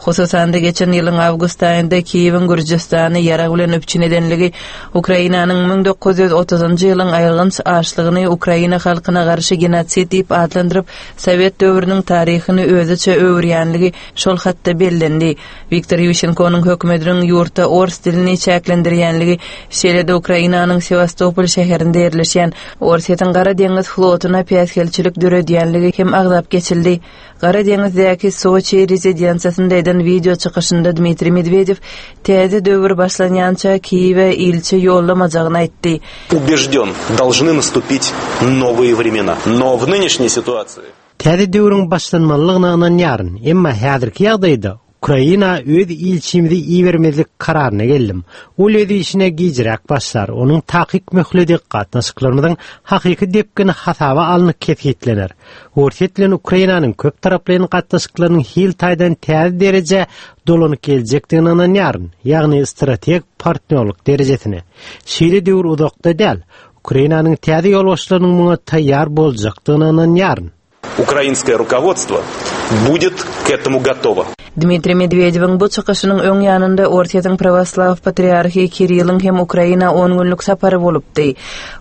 Hususan-da, geçen ýylyň awgust aýynda Kiýewiň Gürjüstany ýarag bilen üpjün edenligi, Ukrainanyň 1930-njy ýylyň aýylganç açlygyny Ukraina halkyna garşy genosid diýip atlandyryp, Sowet döwrüniň taryhyny özüçe öwürýänligi şol hatda bellendi. Wiktor Ýuşenkonyň hökümetiniň ýurtda ors dilini çäklendirýänligi, şeýle-de Ukrainanyň Sewastopol şäherinde ýerleşýän Orsýetiň Gara deňiz flotuna päsgelçilik döredýänligi hem agzap geçildi. Gara deňizdäki Soçi rezidensiýasynda eden wideo çykyşynda Dmitriý Medwedew täze döwür başlanýança Kiýewe ilçi ýollamajagyny aýtdy. Ubejden, dolžny nastupit nowyye wremena, no w nynişniý situasiýi. Täze döwrüň başlanmalydygyna ynanýaryn, emma häzirki ýagdaýda Ukraina öz ilçimizi ibermezlik kararyna geldim. Ol öz işine gijräk başlar, onuň takyk möhledi gatnaşyklarymyzyň hakyky depgini hasaba alnyp kesgitlener. Orsýet bilen Ukrainanyň köptaraplaýyn gatnaşyklarynyň hil taýdan täze derejä dolanyp geljekdigine ynanýaryn, ýagny strategik partnýorlyk derejesine. Şeýle döwür uzakda däl. Ukrainanyň täze ýolbaşçylarynyň muňa taýýar boljakdygyna ynanýaryn. Украинское руководство будет к этому готово. Dmitriý Medwedewiň bu çykyşynyň öň ýanynda Orsýetiň prawoslaw patriarhy Kiriliň hem Ukraina on günlük sapary bolupdy.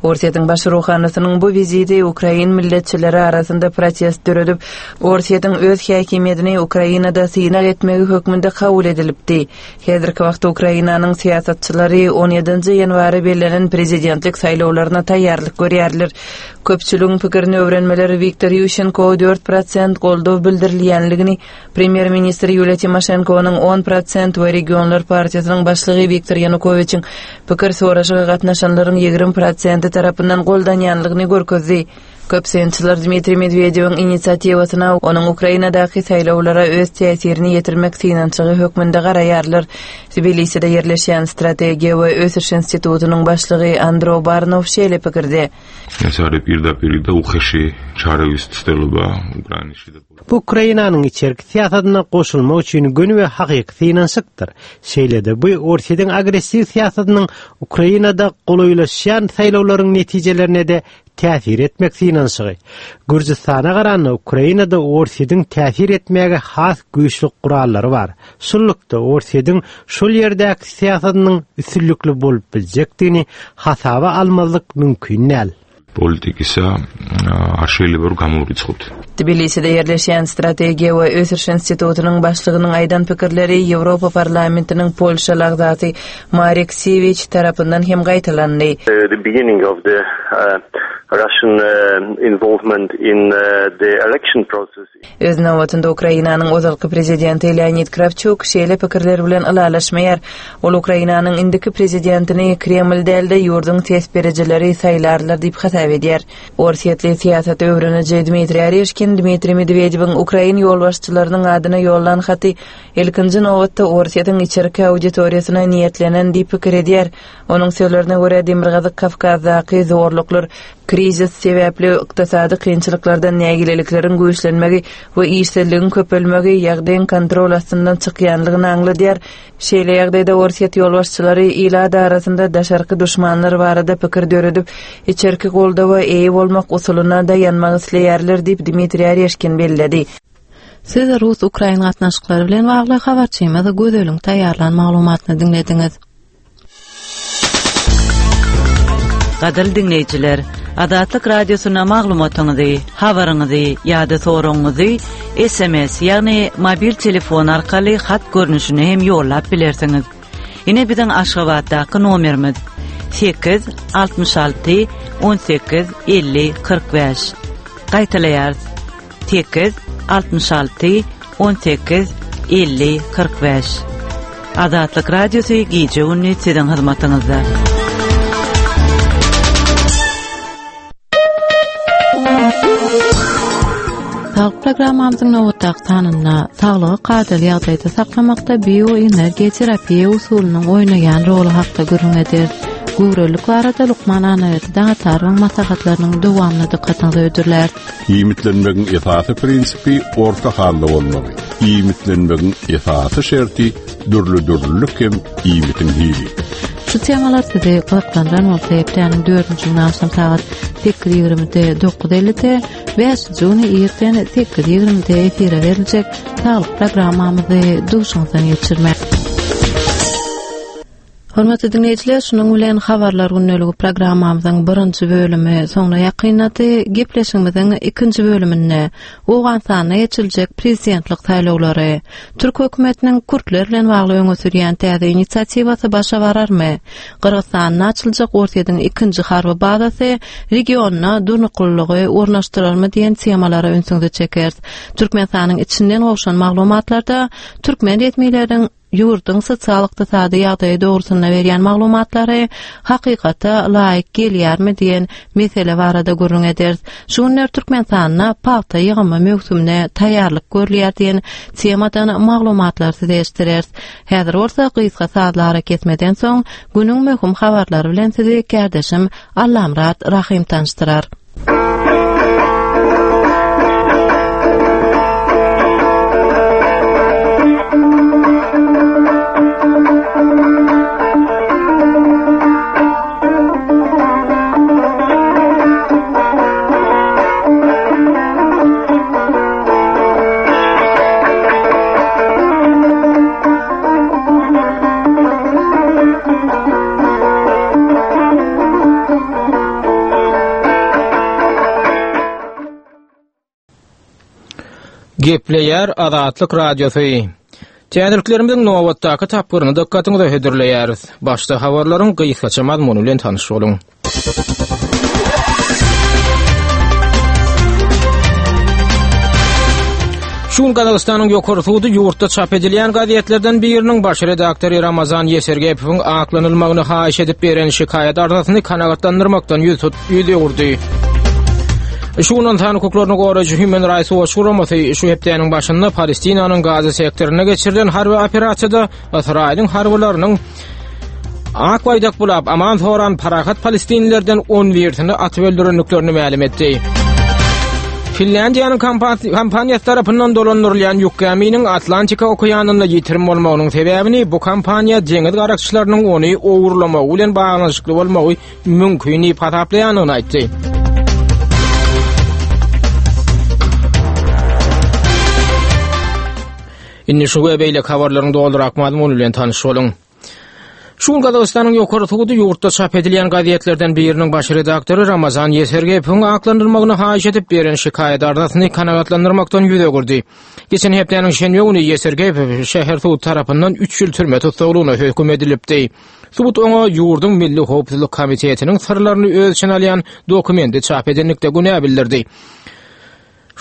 Orsýetiň baş ruhanysynyň bu wiziti ukrain milletçileri arasynda protest döredip, Orsýetiň öz häkimiýetini Ukrainada synag etmegi hökmünde kabul edilipdi. Häzirki wagtda Ukrainanyň syýasatçylary on ýedinji ýanwara bellenen prezidentlik saýlawlaryna taýýarlyk görýärler. Köpçüligiň pikirini öwrenmeler Wiktor Ýuşenko 4% goldaw bildirilýänligini, premýer-ministr Ýuliýa Timoşenkonyň 10% we Regionlar partiýasynyň başlygy Wiktor Ýanukowiçiň pikir soraşyga gatnaşanlaryň 20 prosenti tarapyndan goldanýanlygyny görkezdi. Köp synçylar Dmitriý Medwedewiň inisiatiwasyna onuň Ukrainadaky saýlawlara öz täsirini ýetirmek synanyşygy hökmünde garaýarlar. Tbiliside ýerleşýän Strategiýa we ösüş institutynyň başlygy Andro Barnow şeýle pikirde. Bu Ukrainanyň içerki syýasatyna goşulmak üçin göni we hakyky synanyşykdyr. Şeýle-de bu Orsýetiň agressiw syýasatynyň Ukrainada golaýlaşýan saýlawlaryň netijelerine-de täsir etmek synanyşygy. Gürjüstana garanda Ukrainada Orsýetiň täsir etmäge has güýçli gurallary bar. Şunlukda Orsýetiň şol ýerdäki syýasatynyň üstünlikli bolup biljekdigini hasaba almazlyk mümkin däl. პოლიტიკისა არ შეიძლება რომ გამოვრიცხოთ. Tbiliside ýerleşýän Strategiýa we ösüş institutynyň başlygynyň aýdan pikirleri Ýewropa Parlamentiniň polşaly agzasy Marek Siwiç tarapyndan hem gaýtalandy. The beginning of the Russian involvement in the election process. Öz nobatynda Ukrainanyň ozalky prezidenti Leonid Krawçuk şeýle pikirler bilen ylalaşmaýar. Ol Ukrainanyň indiki prezidentini Kreml däl-de, ýurduň ses berijileri saýlarlar diýip hasap edýär. Orsýetli syýasaty öwreniji Dmitriý Oreşkin Dmitriý Medwedewiň ukrain ýolbaşçylarynyň adyna ýollan haty ilkinji nobatda Orsýetiň içerki auditoriýasyna niýetlenen diýip pikir edýär. Onuň sözlerine görä, Demirgazyk Kawkazdaky zorluklar krizis sebäpli ykdysady kynçylyklardan nägilelikleriň güýçlenmegi we işsizligiň köpelmegi ýagdaýyň kontrol astyndan çykýanlygyny aňladýar. Şeýle ýagdaýda Orsýet ýolbaşçylary ilat arasynda daşarky duşmanlar barada pikir döredip, içerki goldawa eýe bolmak usulyna daýanmak isleýärler diýip, Dmitriý Oreşkin belledi. Siz rus-ukrain gatnaşyklary bilen bagly habarçymyz Gözeliň taýýarlan maglumatyny diňlediňiz. Gadyrly diňleýjiler, Azatlyk Radiosyna maglumatyňyzy, habaryňyzy ýa-da soragyňyzy SMS, ýagny mobil telefon arkaly hat görnüşinde hem ýollap bilersiňiz. Ine biziň Aşgabatdaky nomerimiz, 8 66 18 50 45. Gaýtalaýarys, 8 66 18 50 45. Azatlyk Radiosy gije-gündiz siziň hyzmatyňyzda. Saglyk programmamyzyň nobatdaky sanynda saglygy kadaly ýagdaýda saklamakda bioenergiýa terapiýa usulynyň oýnaýan roly hakda gürrüň ederis. Göwrelilik barada lukman Annaberdi Daňatarowyň maslahatlarynyň dowamyny dykgatyňyza hödürläris. Iýmitlenmegiň esasy prinsipi orta halda bolmagy. Iýmitlenmegiň esasy şerti dürli-dürlülik hem iýmitiň hili. Şu temalar sizi gyzyklandyran bolsa hepdäniň dördünji güni agşam sagat 8.20-de 9.50-de, bäşinji güni irden 8.20-de efire beriljek saglyk programmamyzy duşuňyzdan geçirmek. Hormatly diňleýjiler, şunuň bilen Habarlar gündeligi programmamyzyň birinji bölümi soňuna ýakynlady. Gepleşigimiziň ikinji bölüminde Owganystanda geçiriljek prezidentlik saýlawlary, türk hökümetiniň kürtler bilen bagly öňe sürýän täze inisiatiwasy başa bararmy, Gyrgyzystanda açyljak Orsýetiň ikinji harby bazasy regionda durnuklylygy ornaşdyrarmy diýen temalara ünsüňizi çekeris. Türkmenistanyň içinden gowşan maglumatlarda türkmen resmileriniň ýurduň sosial-ykdysady ýagdaýy dogrusynda berýän maglumatlary hakykata laýyk gelýärmi diýen mesele barada gürrüň ederis. Şu günler Türkmenistanda pagta ýygymy möwsümine taýýarlyk görülýär diýen temadan maglumatlary size eşitdireris. Häzir bolsa gysga sazly arakesmeden soň günüň möhüm habarlary bilen sizi kärdeşim Allamyrat Rahym tanyşdyrar. Gepleýär Azatlyk Radiosy. Täzeliklerimiziň nobatdaky tapgyryny dykgatyňyza hödürleýäris. Başda habarlaryň gysgaça mazmuny bilen tanyş boluň. Şu gün Gazagystanyň ýokary sudy ýurtda çap edilýän gazetlerden biriniň baş redaktory Ramazan Ýesergepowyň aklanylmagyny haýyş edip beren şikaýat arzasyny kanagatlandyrmakdan ýüz tut ýüz öwürdi. Şu gün ynsan hukuklaryny goraýjy Human Rights Watch guramasy şu hepdäniň başynda Palestinanyň Gaza sektorynda geçirilen harby operasiýada Ysraýylyň harbylarynyň ak baýdak bulap aman soran parahat palestinlilerden 11-sini atyp öldürendiklerini mälim etdi. Finlýandiýanyň kompaniýasy tarapyndan dolandyrylýan ýük gäminiň Atlantika okeanynda ýitirim bolmagynyň sebäbini bu kompaniýa deňiz garakçylarynyň ony ogurlamagy bilen baglanyşykly bolmagy mümkin diýip hasaplaýandygyny aýtdy. Indi şu we beýleki habarlaryň dolurak mazmuny bilen tanyş boluň. Şu gün Gazagystanyň ýokary sudy ýurtda çap edilýän gazetlerden biriniň baş redaktory Ramazan Ýesergepowyň aklandyrylmagyny haýyş edip beren şikaýat arzasyny kanagatlandyrmakdan ýüz öwürdi. Geçen hepdäniň şenbe güni Ýesergepow şäher sudy tarapyndan 3 ýyl türme tussaglygyna höküm edilipdi. Sud oňa ýurduň Milli howpsuzlyk komitetiniň syrlaryny öz içine alýan dokumenti çap edenlikde günä bildirdi.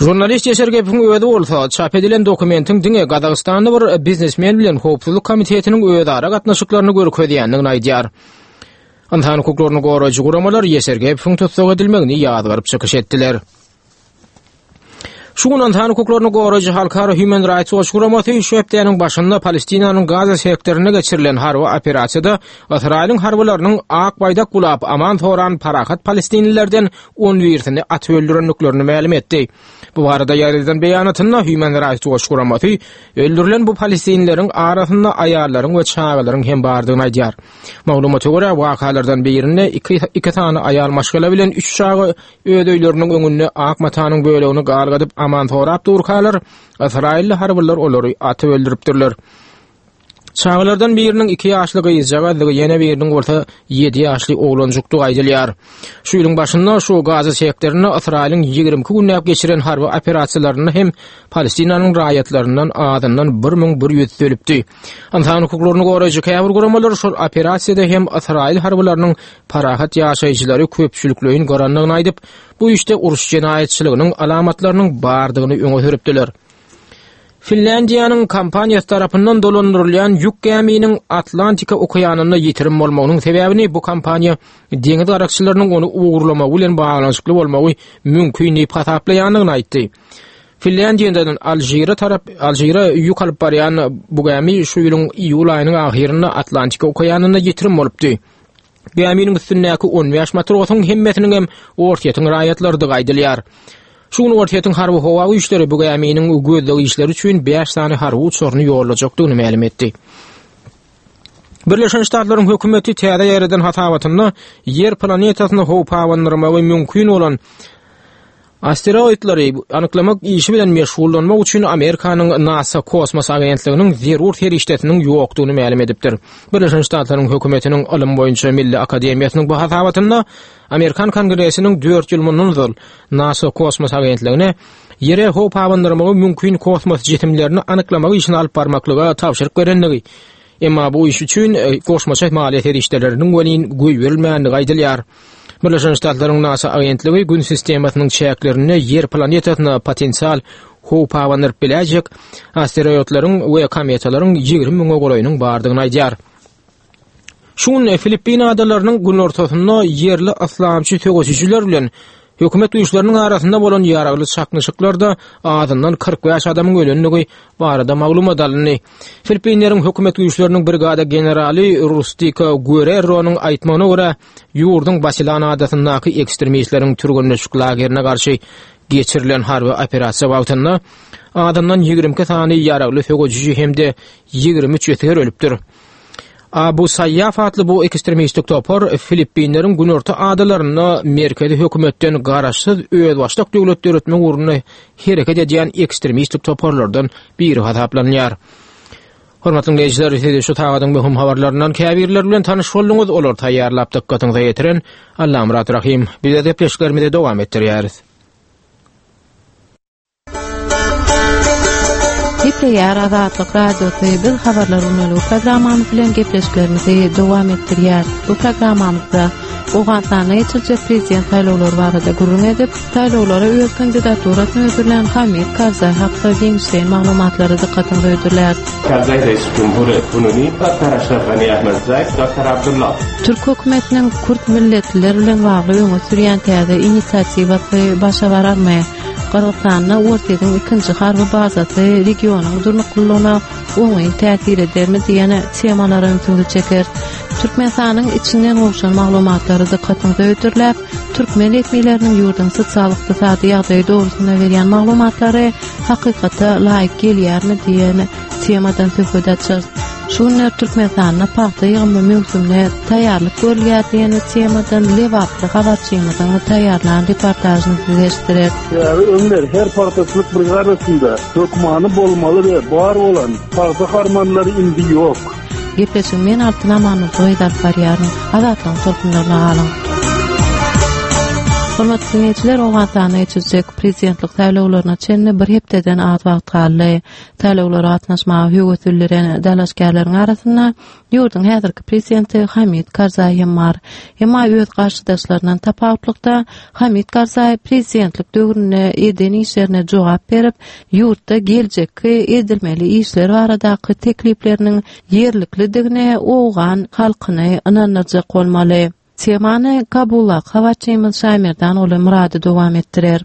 Žurnalist Ýesergepowyň özi bolsa, çap edilen dokumentiň diňe Gazagystanly bir biznesmen bilen Howpsuzlyk komitetiniň özara gatnaşyklaryny görkezýändigini aýdýar. Ynsan hukuklaryny goraýjy guramalar Ýesergepowyň tussag edilmegini ýazgaryp çykyş etdiler. Şu gün ynsan hukuklaryny goraýjy halkara Human Rights Watch guramasy şu hepdäniň başynda Palestinanyň Gaza sektorynda geçirilen harby operasiýada Ysraýylyň harbylarynyň ak baýdak bulap aman soran parahat palestinlilerden on birisini atyp öldürendiklerini mälim etdi. Bu barada ýaýradan beýanatynda Human Rights Watch guramasy öldürilen bu palestinlileriň arasynda aýallaryň we çagalaryň hem bardygyny aýdýar. Maglumata görä, wakalardan birinde iki, iki sany aýal maşgala bilen üç çaga öz öýleriniň öňünde ak matanyň bölegini galgadyp aman sorap durkalar, ysraýylly harbylar olary atyp öldüripdirler. Çagalardan biriniň 2 ýaşly gyzjagazdygy, ýene biriniň bolsa 7 ýaşly oglanjykdygy aýdylýar. Şu ýylyň başynda şu Gaza sektorynda Ysraýylyň 22 günläp geçiren harby operasiýalarynda hem Palestinanyň raýatlaryndan azyndan 1100 ölüpdi. Ynsan hukuklaryny goraýjy käbir guramalar şol operasiýada hem Ysraýyl harbylarynyň parahat ýaşaýjylary köpçülikleýin gyrandygyny aýdyp, bu işde uruş jenaýatçylygynyň alamatlarynyň bardygyny öňe sürüpdiler. Finlýandiýanyň kompaniýasy tarapyndan dolandyrylýan ýük gäminiň Atlantika okeanynda ýitirim bolmagynyň sebäbini bu kompaniýa deňiz garakçylarynyň ony ogurlamagy bilen baglanyşykly bolmagy mümkin diýip hasaplaýandygyny aýtdy. Finlýandiýadan Alžire tarap Alžire ýük alyp barýan bu gämi şu ýylyň iýul aýynyň ahyrynda Atlantika okeanynda ýitirim bolupdy. Gäminiň üstündäki 15 matrosyň hemmesiniň hem Orsýetiň raýatlarydygy aýdylýar. Şu gün Orsýetiň harby howa güýçleri bu gäminiň gözleg işleri üçin 5 sany harby uçaryny ýollajakdygyny mälim etdi. Birleşen Ştatlaryň hökümeti täze ýaýradan hasabatynda Ýer planetasyna howp abandyrmagy mümkin bolan Asteroidleri anyklamak işi bilen meşgullanmak üçin Amerikanyň NASA kosmos agentliginiň zerur serişdesiniň ýokdugyny mälim edipdir. Birleşen Ştatlaryň hökümetiniň Ylym boýunça Milli akademiýasynyň bu hasabatynda Amerikan Kongresiniň dört ýyl mundan ozal NASA kosmos agentligine Ýere howp abandyrmagy mümkin kosmos jisimlerini anyklamak işini alyp barmaklyga tabşyryk berendigi, Emma bu iş üçin e, goşmaça maliýe serişdeleriniň welin goýberilmändigi aýdylýar. Birleşen Ştatlaryň NASA agentligi Gün sistemasynyň çäklerinde Ýer planetasyna potensial howp abandyryp biläýjek asteroidleriň we kometalaryň 20 müňe golaýynyň bardygyny aýdýar. Şu gün Filippin adalarynyň günortasynda ýerli yslamçy söweşijiler bilen hökümet güýçleriniň arasynda bolan ýaragly çaknyşyklarda azyndan 45 adamyň ölendigi barada maglumat alyndy. Filippinleriň hökümet güýçleriniň brigada generaly Rustika Guerreronyň aýtmagyna görä, ýurduň Basilan adasyndaky ekstremistleriň türgenleşik lagerine garşy geçirilen harby operasiýa wagtynda azyndan 22 sany ýaragly söweşiji hem-de 23 esger ölüpdir. Abu Saýýaf atly bu ekstremistik topar Filippinleriň günorta adalarynda merkezi hökümetden garaşsyz özbaşdak döwlet döretmek ugrunda hereket edýän ekstremistik toparlardan biri hasaplanýar. Hormatly diňleýjiler, siz şu sagadyň möhüm habarlaryndan käbirleri bilen tanyş bolduňyz, olary taýýarlap dykgatyňyza ýetiren Allamyrat Rahym. Biz gepleşiklerimizi dowam etdirýäris. Gepleýär Azatlyk Radiosy biz habarlar gündeligi programmamyz bilen gepleşiklerimizi dowam etdirýär. Bu programmamyzda Owganystanda geçiriljek prezident saýlawlary barada gürrüň edip, saýlawlara öz kandidaturasyny hödürlän Hamid Karzaý hakda giňişleýin maglumatlary dykgatyňyza hödürläris. Karzaý Reis Cumhur Kununi, Doktor Aşraf Gani Ahmedzaý, Doktor Abdullah. Türk hökümetiniň kürt milletliler bilen bagly öňe sürýän täze inisiatiwasy başa bararmy? Gyrgyzystanda Orsýetiň ikinji harby bazasy regionyň durnuklylygyna oňyn täsir edermi diýen temalara ünsüňizi çekeris. Türkmenistanyň içinden gowşan maglumatlary dykgatyňyza hödürläp, türkmen resmileriniň ýurduň sosial-ykdysady ýagdaýy dogrusynda berýän maglumatlary hakykata laýyk gelýärmi diýen temadan söhbet açarys. Şu günler Türkmenistanda pagta ýygymy möwsümine taýýarlyk görülýär diýen temadan lebaply habarçymyzyň taýýarlan reportažyny size eşitdireris. Sebäbi öňler her pagtaçylyk brigadasynda hökmany bolmaly we bar bolan pagta harmanlary indi ýok. Gepleşigi men Altyn Amanurdygyz alyp barýaryn. Azatlygyň tolkunlaryna galyň. Hormatly diňleýjiler, Owganystanda geçiriljek prezidentlik saýlawlaryna çenli bir hepdeden az wagt galdy. Saýlawlara gatnaşmaga höwes bildiren dalaşgärleriň arasynda ýurduň häzirki prezidenti Hamid Karzaý hem bar. Emma öz garşydaşlaryndan tapawutlykda Hamid Karzaý prezidentlik döwründe eden işlerine jogap berip, ýurtda geljekki edilmeli işler baradaky teklipleriniň ýerliklidigine owgan halkyny ynandyrjak bolmaly. Temany Kabuldaky habarçymyz Şaýmerdan Myrady dowam etdirer.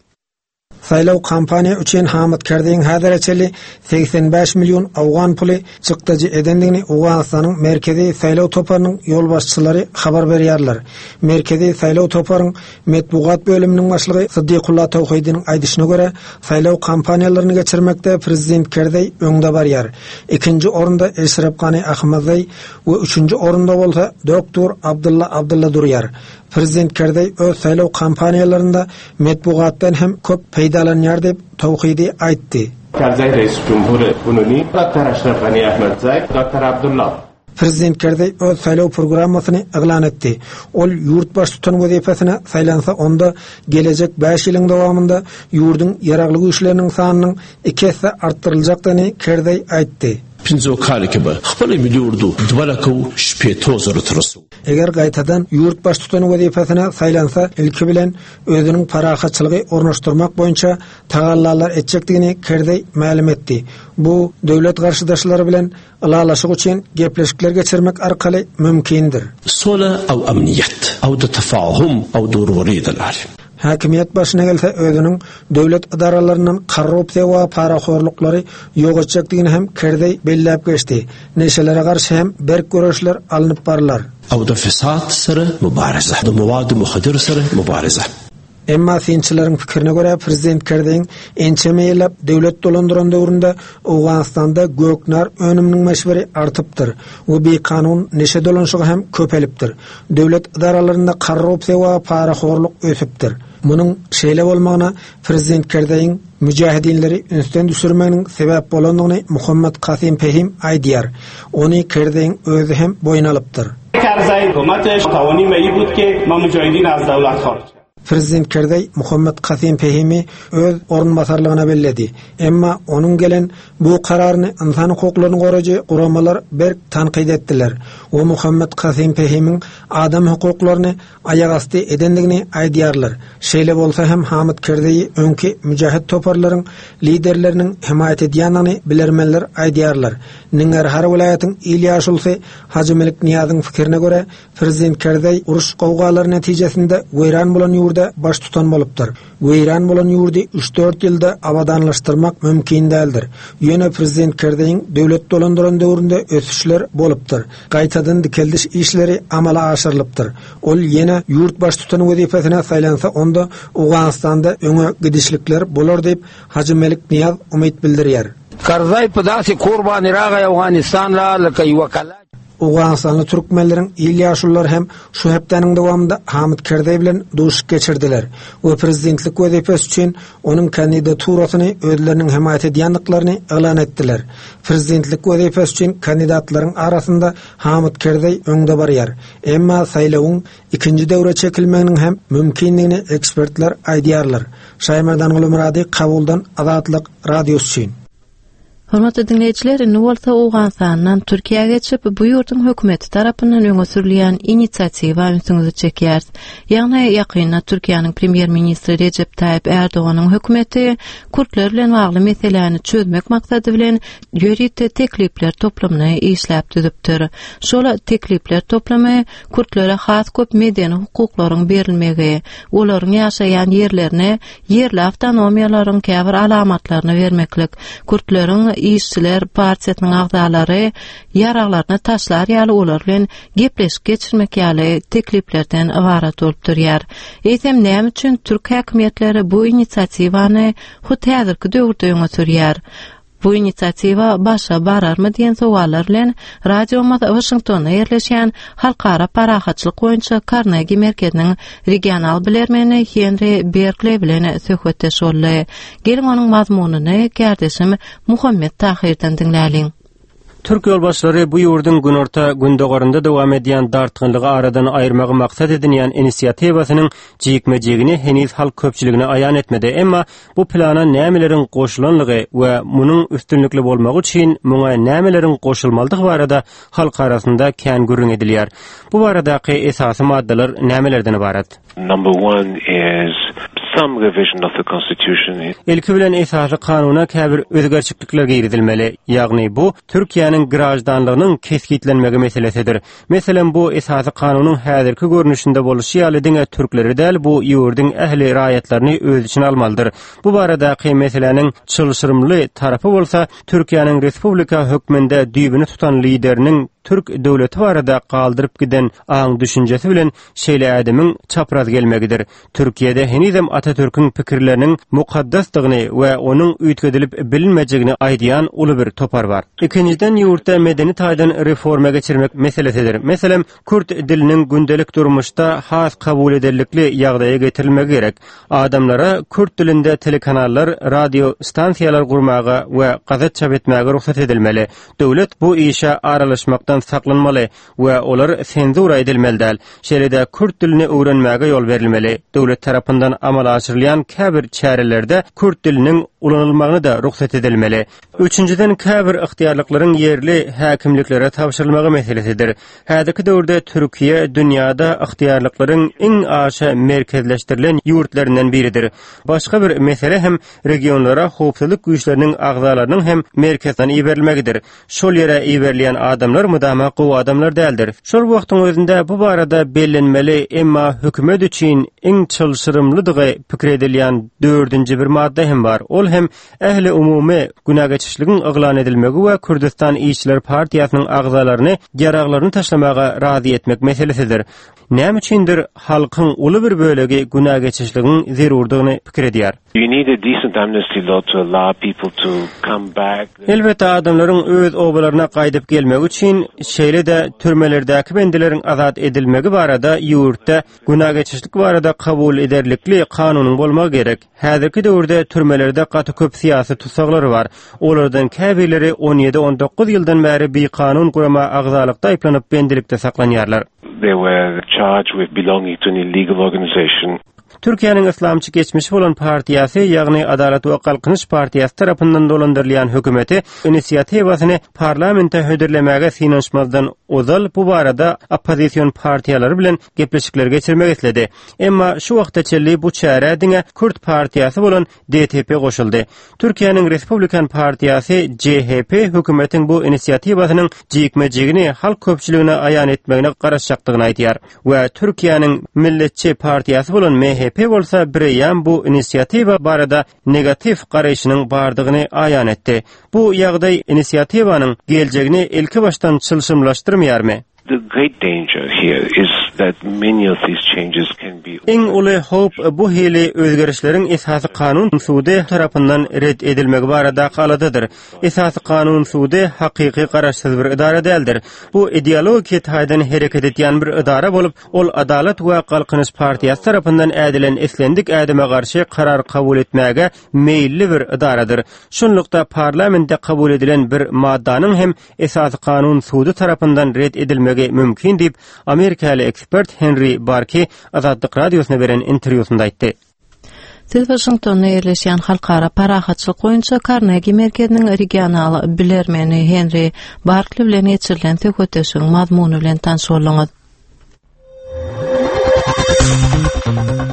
Saýlaw kampaniýa üçin Hamid Kerziň häzire çenli 85 million owgan puly çykdajy edendigini Owganystanyň Merkezi saýlaw toparynyň ýolbaşçylary habar berýärler. Merkezi saýlaw toparyň Metbugat bölüminiň başlygy Syddykulla Towhidiniň aýdyşyna görä, saýlaw kampaniýalaryny geçirmekde prezident Kerzeý öňde barýar. Ikinji orunda Eşrep Gani Ahmadzaý we üçünji orunda bolsa doktor Abdylla Abdylla durýar. Prezident Kerzeý öz saýlaw kampaniýalarynda metbugatdan hem köp peýdalanýar diýip, Towhidi aýtdy. Kerzeý Reis Cumhur Kununi, Doktor Eşrep Gani Ahmadzaý, Doktor Abdylla. Prezident Kerzeý öz saýlaw programmasyny yglan etdi. Ol ýurt baştutan wezipesine saýlansa onda gelejek bäş ýylyň dowamynda ýurduň ýaragly güýçleriniň sanynyň iki esse artdyryljakdygyny Kerzeý aýtdy. Pinzo kali ki be hpali milli urdu dwa laka u şpeto zaro te rasu. Eger gaýtadan ýurt baştutany wezipesine saýlansa ilki bilen özüniň parahatçylygy ornaşdyrmak boýunça tagallalar etjekdigini Kerzeý mälim etdi. Bu döwlet garşydaşlary bilen Ylalaşyk üçin gepleşikler geçirmek arkaly mümkindir. Sole aw amniýet, aw da tafahum, aw durwary dalar. Häkimiýet başyna gelse özüniň döwlet edaralaryndan korrupsiýa we parahorluklary ýok etjekdigini hem Kerzeý belläp geçdi. Neşelere garşy hem berk göreşler alnyp barylar. Aw da fesat sere mubareze, da mowady muhadir sere mubareze. Emma synçylaryň pikirine görä, prezident Kerzeýiň ençeme ýyllap döwlet dolandyran döwründe Owganystanda göknar önüminiň möçberi artypdyr we bikanun neşe dolanyşygy hem köpelipdir. Döwlet edaralarynda korrupsiýa we parahorluk ösüpdir. Munuň şeýle bolmagyna prezident Kerzeýiň müjahidinleri ünsden düşürmeginiň sebäp bolandygyny Muhammad Kasym Pehim aýdýar. Ony Kerzeýiň özi hem boýun alypdyr. Karzaý hökümeteş tawani meýi bud ki ma mujahidin az dawlat hariç. Prezident Kerzeý Muhammet Kasym Fehimi öz orunbasarlygyna belledi. Emma onuň gelen bu kararyny ynsan hukuklaryny goraýjy guramalar berk tankyt etdiler we Muhammet Kasym Fehimiň adam hukuklaryny aýagasty edendigini aýdýarlar. Şeýle bolsa hem Hamid Kerzeýi öňki müjahid toparlaryň liderleriniň hemaýat edýändigini bilermenler aýdýarlar. Ningarhar welaýatyň il ýaşulusy Hajy Melik Nyýazyň pikirine görä, prezident Kerzeý uruş-gowgalary netijesinde weýran bolan ýurda baştutan bolupdyr. Weýran bolan ýurdy üç-dört ýylda abadanlaşdyrmak mümkin däldir. Ýöne prezident Kerzeýiň döwlet dolandyran döwründe ösüşler bolupdyr. Gaýtadan dikeldiş işleri amala aşyrylypdyr. Ol ýene ýurt baştutany wezipesine saýlansa onda Owganystanda öňe gidişlikler bolar diýip, Hajy Melik Nyýaz umyt bildirýär. Karzaý په داسې کور باندې راغی افغانستان لا لکه یوه کلا. Owganystanly türkmenleriň il ýaşululary hem şu hepdäniň dowamynda Hamid Kerzeý bilen duşuşyk geçirdiler we prezidentlik wezipesi üçin onuň kandidaturasyny özleriniň hemaýat edýändiklaryny yglan etdiler. Prezidentlik wezipesi üçin kandidatlaryň arasynda Hamid Kerzeý öňde barýar. Emma saýlawyň ikinji döwre çekilmeginiň hem mümkindigini ekspertler aýdýarlar. Şaýmerdan Gulumyrady Kabuldan Azatlyk Radiosy üçin. Hormatly diňleýjiler, indi bolsa Owganystandan Türkiýä geçip, bu ýurduň hökümeti tarapyndan öňe sürülýän inisiatiwa ünsüňizi çekýäris. Ýagny, ýakynda Türkiýäniň premýer-ministri Rejep Taýyp Ärdoganyň hökümeti kürtler bilen bagly meseläni çözmek maksady bilen ýörite teklipler toplumyny işläp düzüpdir. Şol teklipler toplumy kürtlere has köp medeni hukuklaryň berilmegi, olaryň ýaşaýan ýerlerine ýerli awtonomiýalaryň käbir alamatlaryny bermeklik, kürtleriň işçiler partiýasynyň agzalary ýaraglaryny taşlar ýaly olar bilen gepleşik geçirmek ýaly tekliplerden ybarat bolup durýar. Eýsem näme üçin türk häkimiýetleri bu inisiatiwany hut häzirki döwürde öňe sürýär? Bu inisiatiwa başa bararmy diýen sowallar bilen radiomyz Waşingtonda ýerleşýän Halkara parahatçylyk boýunça Karnegi merkeziniň regional bilermeni Henri Berkleý bilen söhbetdeş boldy. Geliň onuň mazmunyny kärdeşim Muhammet Tahyrdan diňläliň. Türk ýolbaşçylary bu ýurduň günorta-gündogarynda dowam edýän dartgynlygy aradan aýyrmagy maksat edinýän inisiatiwasynyň jikme-jigini heniz halk köpçüligine aýan etmedi, emma Bu plana nämeleriň goşulanlygy we munuň üstünlikli bolmagy üçin muňa nämeleriň goşulmalydygy barada halk arasynda kän gürrüň edilýär. Bu baradaky esasy maddalar nämelerden ybarat? Number one is some revision of the constitution. Ilki bilen esasy kanuna käbir özgerçiklikler girizilmeli. Ýagny bu Türkiýäniň graždanlygynyň kesgitlenmegi meselesidir. Meselem, bu Esasy Kanunyň häzirki görnüşinde bolşy ýaly diňe türkleri däl, bu ýurduň ähli raýatlaryny öz içine almalydyr. Bu baradaky meseläniň çylşyrymly tarapy bolsa, Türkiýäniň respublika hökmünde düýbüni tutan lideriniň türk döwleti barada galdyryp giden aň-düşünjesi bilen şeýle ädimiň çapraz gelmegidir. Türkiýede henizem Atatürküň pikirleriniň mukaddasdygyny we onuň üýtgedilip bilinmejegini aýdýan uly bir topar bar. Ikinjiden ýurtda medeni taýdan reforma geçirmek meselesidir. Meselem, kürt diliniň gündelik durmuşda has kabul ederlikli ýagdaýa getirilmegi gerek. Adamlara kürt dilinde telekanallar, radio stansiýalar gurmaga we gazet çap etmäge rugsat edilmeli. Döwlet bu işe aralaşmakdan saklanmaly we olar senzura edilmeli däl. Şeýle-de kürt dilini öwrenmäge ýol berilmeli. Döwlet tarapyndan amala aşyrylýan käbir çärelerde kürt diliniň ulanylmagyna-da rugsat edilmeli. Üçünjiden, käbir ygtyýarlyklaryň ýerli häkimliklere tabşyrylmagy meselesidir. Häzirki döwürde Türkiýe dünýäde ygtyýarlyklaryň iň aşa merkezleşdirilen ýurtlaryndan biridir. Başga bir mesele hem regionlara howpsuzlyk güýçleriniň agzalarynyň hem merkezden iberilmegidir. Şol ýere iberilýän adamlar mydama gowy adamlar däldir. Şol wagtyň özünde bu barada bellenmeli, emma hökümet üçin iň çylşyrymlydygy pikir edilýän dördünji bir madda hem bar. Ol hem ähliumumy günägeçişligiň yglan edilmegi we Kürdüstan işçiler partiýasynyň agzalaryny ýaraglaryny taşlamaga razy etmek meselesidir. Näme üçindir halkyň uly bir bölegi günägeçişligiň zerurdygyny pikir edýär. You need a decent amnesty law to allow people to come back. Elbetde adamlaryň öz obalaryna gaýdyp gelmegi üçin, şeýle-de türmelerdäki bendileriň azat edilmegi barada ýurtda günägeçişlik barada kabul ederlikli kanunyň bolmagy gerek. Häzirki döwürde türmelerde gaty köp syýasy tussaglar bar. Olardan käbirleri on ýedi-on dokuz ýyldan bäri bikanun gurama agzalykda aýyplanyp bendilikde saklanýarlar. They were charged with belonging to an illegal organization. Türkiýäniň yslamçy geçmişi bolan partiýasy, ýagny Adalat we Galkynyş partiýasy tarapyndan dolandyrylýan hökümeti inisiatiwasyny parlamente hödürlemäge synanyşmazdan ozal bu barada oppozision partiýalary bilen gepleşikler geçirmek isledi. Emma şu wagta çenli bu çärä diňe kürt partiýasy bolan DTP goşuldy. Türkiýäniň Respublikan partiýasy CHP hökümetiň bu inisiatiwasynyň jikme-jigini halk köpçüligine aýan etmegine garaşjakdygyny aýdýar we Türkiýäniň Milletçi partiýasy bolan MHP bolsa bireýýäm bu inisiatiwa barada negatiw garaýşynyň bardygyny aýan etdi. Bu ýagdaý inisiatiwanyň geljegini ilkibaşdan çylşyrymlaşdyrmaýarmy? The great danger here is that many of these changes can be. Iň uly howp bu hili özgerişleriň Esasy Kanun sudy tarapyndan ret edilmegi baradaky aladadyr. Esasy Kanun sudy hakyky garaşsyz bir edara däldir. Bu ideologiki taýdan hereket edýän bir edara bolup, ol Adalat we Galkynyş partiýasy tarapyndan ädilen islendik ädime garşy karar kabul etmäge meýilli bir edaradyr. Şunlukda parlamentde kabul edilen bir maddanyň hem Esasy Kanun sudy tarapyndan ret edilmegi mümkin diýip, amerikaly ekspert Henri Barki Azatlyk Radiosyna beren interwýusynda aýtdy. Siz Waşingtonda ýerleşýän Halkara parahatçylyk boýunça Karnegi merkeziniň regional bilermeni Henri Barkli bilen geçirilen söhbetdeşligiň mazmuny bilen tanyş bolduňyz.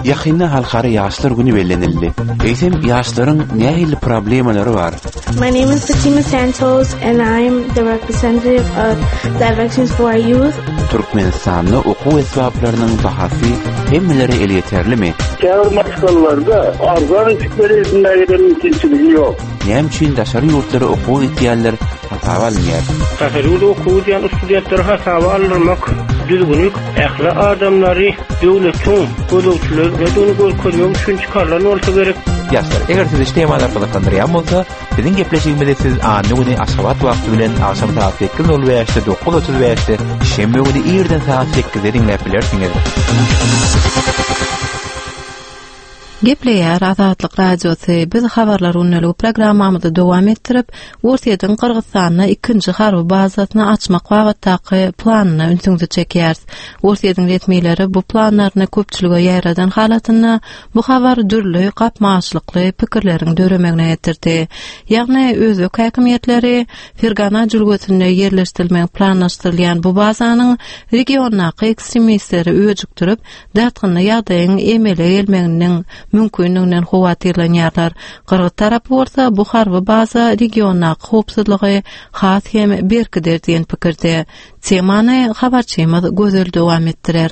Ýakynda Halkara ýaşlar güni bellenildi. Eýsem, ýaşlaryň nähili problemalary bar? My name is Fatima Santos and I'm the representative of Directions for Our Youth. Türkmenistanda okuw esbaplarynyň bahasy hemmelere elýeterlimi? Käbir maşgalalarda arzan eşikleri edinmäge-de mümkinçiligi ýok. Näme üçin daşary ýurtlara okuwa gitýänler hasaba alynýar? Daşary ýurda okuwa gidýän studentleri hasaba aldyrmak düzgüni ähli adamlary döwletiň gözegçiligine görkezmek üçin çykarylan bolsa gerek. Ýaşlar, eger sizi şu temalar gyzyklandyrýan bolsa, biziň gepleşigimizi siz anna güni Aşgabat wagty bilen agşam sagat 8:05-de, 9:35-de, şenbe güni irden sagat 8-de diňläp bilersiňiz. Gepleýär Azatlyk Radiosy, biz Habarlar gündeligi programmamyzy dowam etdirip, Orsýetiň Gyrgyzystanda ikinji harby bazasyny açmak babatdaky planyna ünsüňizi çekýäris. Orsýetiň resmileri bu planlaryny köpçülige ýaýradan halatynda bu habar dürli gapma-garşylykly pikirleriň döremegine getirdi. Ýagny özbek häkimiýetleri Fergana jülgesinde ýerleşdirilmegi planlaşdyrylýan bu bazanyň regiondaky ekstremistleri öjükdirip, dartgynly ýagdaýyň emele gelmeginiň mümkindiginden howatyrlanýarlar. Gyrgyz tarapy bolsa bu harby baza regiondaky howpsuzlygy has hem berkider diýen pikirde. Temany habarçymyz Gözel dowam etdirer.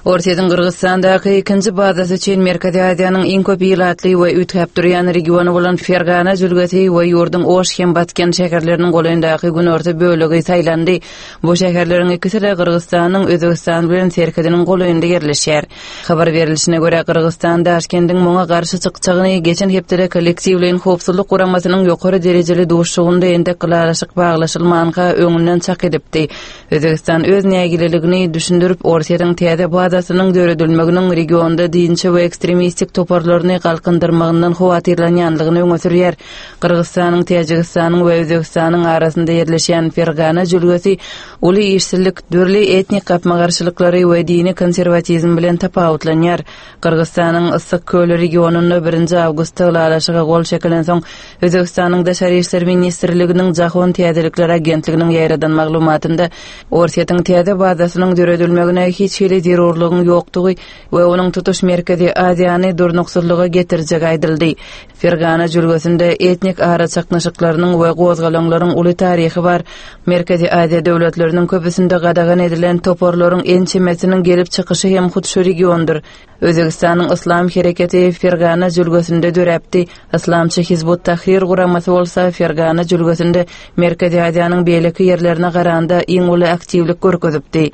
Orsýetiň Gyrgyzystandaky ikinji bazasy üçin Merkezi Aziýanyň iň köp ilatly we üýtgäp durýan regiony bolan Fergana jülgesi we ýurduň Oş hem Batken şäherleriniň golaýyndaky günorta bölegi saýlandy. Bu şäherleriň ikisi-de Gyrgyzystanyň Özbegistan bilen serhediniň golaýynda ýerleşýär. Habar berlişine görä, Gyrgyzystan Daşkendiň muňa garşy çykjagyny geçen hepdede Kollektiwleýin howpsuzlyk guramasynyň ýokary derejeli duşuşygynda entek ylalaşyk baglaşylmanka öňünden çak edipdi. Özbegistan öz nägileligini düşündirip, Orsýetiň täze bazasynyň döredilmeginiň regionda dinçi we ekstremistik toparlaryny galkyndyrmagyndan howatyrlanýanlygyny öňe sürýär. Gyrgyzystanyň, Täjigistanyň we Özbegistanyň arasynda ýerleşýän Fergana jülgesi uly işsizlik, dürli etnik gapma-garşylyklary we dini konserwatizm bilen tapawutlanýar. Gyrgyzystanyň Yssyk köli regionynda birinji awgustda ylalaşyga gol çekilensoň, Özbegistanyň Daşary işler ministrliginiň Jahon täzelikleri agentliginiň ýaýradan maglumatynda Orsýetiň täze bazasynyň döredilmegine hiç hili zerurlygyň ýokdugy we onuň tutuş Merkezi Aziýany durnuksyzlyga getirjegi aýdyldy. Fergana jülgesinde etnik araçaknyşyklarynyň we gozgalaňlaryň uly taryhy bar. Merkezi Aziýa döwletleriniň köpüsinde gadagan edilen toparlaryň ençemesiniň gelip çykyşy hem hut şu regiondyr. Özbegistanyň Yslam hereketi Fergana jülgesinde döräpdi. Yslamçy Hizbut Tahrir guramasy bolsa Fergana jülgesinde Merkezi Aziýanyň beýleki ýerlerine garanda iň uly aktiwlik görkezipdi.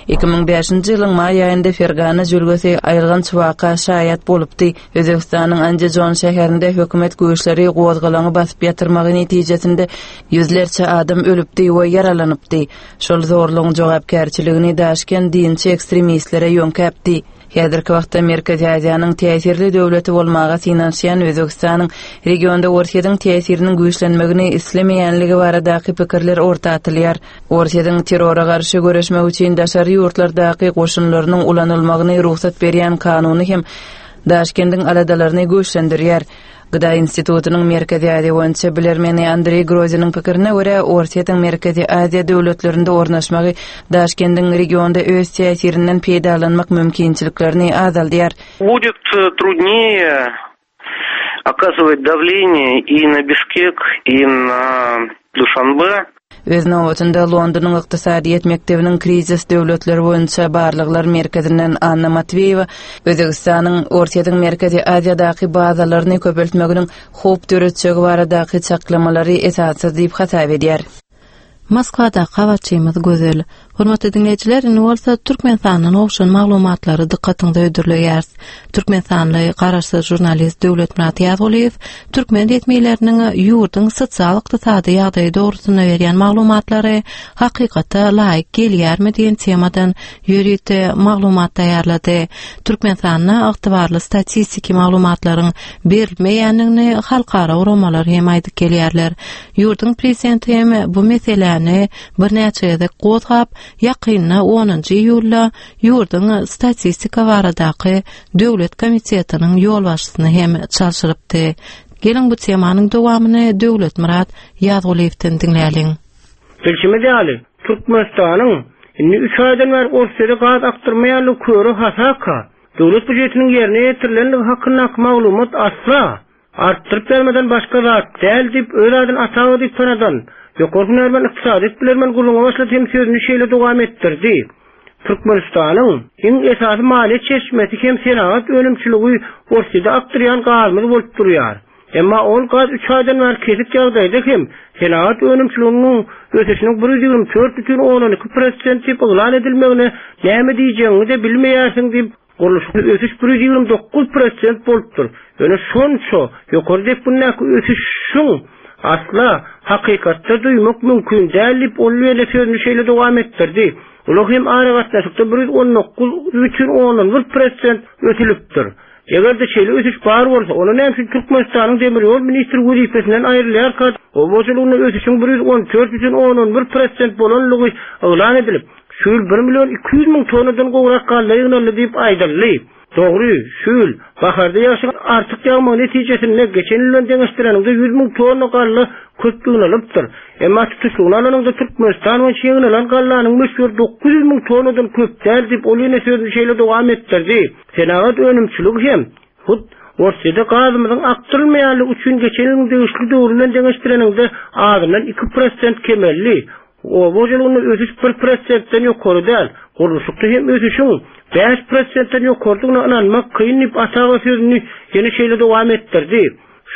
2005-nji ýylyň maý aýynda Fergana jülgesi aýylganç waka şaýat bolupdy. Özbegistanyň Andijon şäherinde hökümet güýçleri gozgalaňy basyp ýatyrmagy netijesinde ýüzlerçe adam ölüpdi we ýaralanypdy. Şol zorlugyň jogapkärçiligini Daşkent dinçi ekstremistlere ýöňkäpdi. Häzirki wagtda Merkezi Aziýanyň täsirli döwleti bolmaga synanyşýan Özbegistanyň regionda Orsýetiň täsiriniň güýçlenmegini islemeýänligi baradaky pikirler orta atylýar. Orsýetiň terrora garşy göreşmek üçin daşary ýurtlardaky goşunlarynyň ulanylmagyny rugsat berýän kanuny hem Daşkendiň aladalaryny güýçlendirýär. Gda institutynyň Merkezi Aziýa boýunça bilermeni Andreý Groziniň pikirine görä, Orsýetiň Merkezi Aziýa döwletlerinde ornaşmagy Daşkendiň regionda öz täsirinden peýdalanmak mümkinçiliklerini azaldýar. Будет trudnее оказывать давление и на Бишкек, и на Душанбе. Öz nobatynda Londonyň Ykdysadyýet mekdebiniň Krizis döwletler boýunça barlaglar merkezinden Anna Matweýewa Özbegistanyň Orsýetiň Merkezi Aziýadaky bazalaryny köpeltmeginiň howp döretjegi baradaky çaklamalary esassyz diýip hasap edýär. Moskwadaky habarçymyz Gözel. Hormatly diňleýjiler, indi bolsa Türkmenistandan gowşan maglumatlary dykgatyňyza hödürleýäris. Türkmenistanly garaşsyz žurnalist Döwletmyrat Ýazgulyýew türkmen resmileriniň ýurduň sosial-ykdysady ýagdaýy dogrusynda berýän maglumatlary hakykata laýyk gelýärmi diýen temadan ýörite maglumat taýýarlady. Türkmenistanda ygtybarly statistiki maglumatlaryň berilmeýändigini halkara guramalar hem aýdyp gelýärler. Ýurduň prezidenti hem bu meseläni birnäçe gezek gozgap, ýakynda onunjy iýulda ýurduň Statistika baradaky döwlet komitetiniň ýolbaşçysyny hem çalşyrypdy. Geliň bu temanyň dowamyny Döwletmyrat Ýazgulyýewden diňläliň. Bilşimiz ýaly, Türkmenistanyň indi üç aýdan bäri Orsýete gaz akdyrmaýanlygy köre hasaka, döwlet býujetiniň ýerine ýetirilenligi hakyndaky maglumat asla Artdyryp ýazmadan başga zat däl diýip, öz adyny Ataowa diýip tanadan, ýokary hünärmen ykdysadyýet bilermen gürrüňe başlady hem sözüni şeýle dowam etdirdi, Türkmenistanyň iň esasy maliýe çeşmesi hem senagat önümçiligi Orsýede akdyrýan gazymyz bolup durýar. Emma ol gaz üç aýdan bäri kesik ýagdaýda hem senagat önümçiliginiň ösüşiniň 124 bütin ondan iki prosent diýip yglan edilmegine näme diýjegiňi-de bilmeýärsiň diýip, Gurluşykda ösüş 129 prosent bolupdyr. Ýöne şonça ýokary depgindäki ösüşiň asla hakykatda duýmak mümkin däl diýip, ol ýene sözüni şeýle dowam etdirdi, Ulag hem aragatnaşykda 119 bütin ondan bir prosent ösülipdir. Eger-de şeýle ösüş bar bolsa, onda näme üçin Türkmenistanyň demir ýol ministri wezipesinden aýrylýarka, oba hojalygynda ösüşiň 114 bütin ondan bir prosent bolanlygy yglan edilip, Şu ýyl bir million 200 müň tonnadan gowrak galla ýygnaldy diýip aýdyldy. Dogry, şu ýyl, baharda ýagşyň artyk ýagmagy netijesinde, geçen ýyl bilen deňeşdireniňde 100 müň tonna galla köp ýygnalypdyr. Emma tutuşlygyna alanyňda Türkmenistan boýunça ýygnalan gallanyň möçberi 900 müň tonnadan köp däl diýip, ol ýene sözüni şeýle dowam etdirdi. Senagat önümçiligi hem, hut, Orsýede gazymyzyň akdyrylmaýanlygy üçin geçen ýylyň degişli döwri bilen deňeşdireniňde azyndan iki prosent kemeldi. Oba hojalygynda ösüş bir prosentden ýokary däl, gurluşykda hem ösüşiň bäş prosentden ýokarydygyna ynanmak kyn diýip, Ataga sözüni ýene şeýle dowam etdirdi,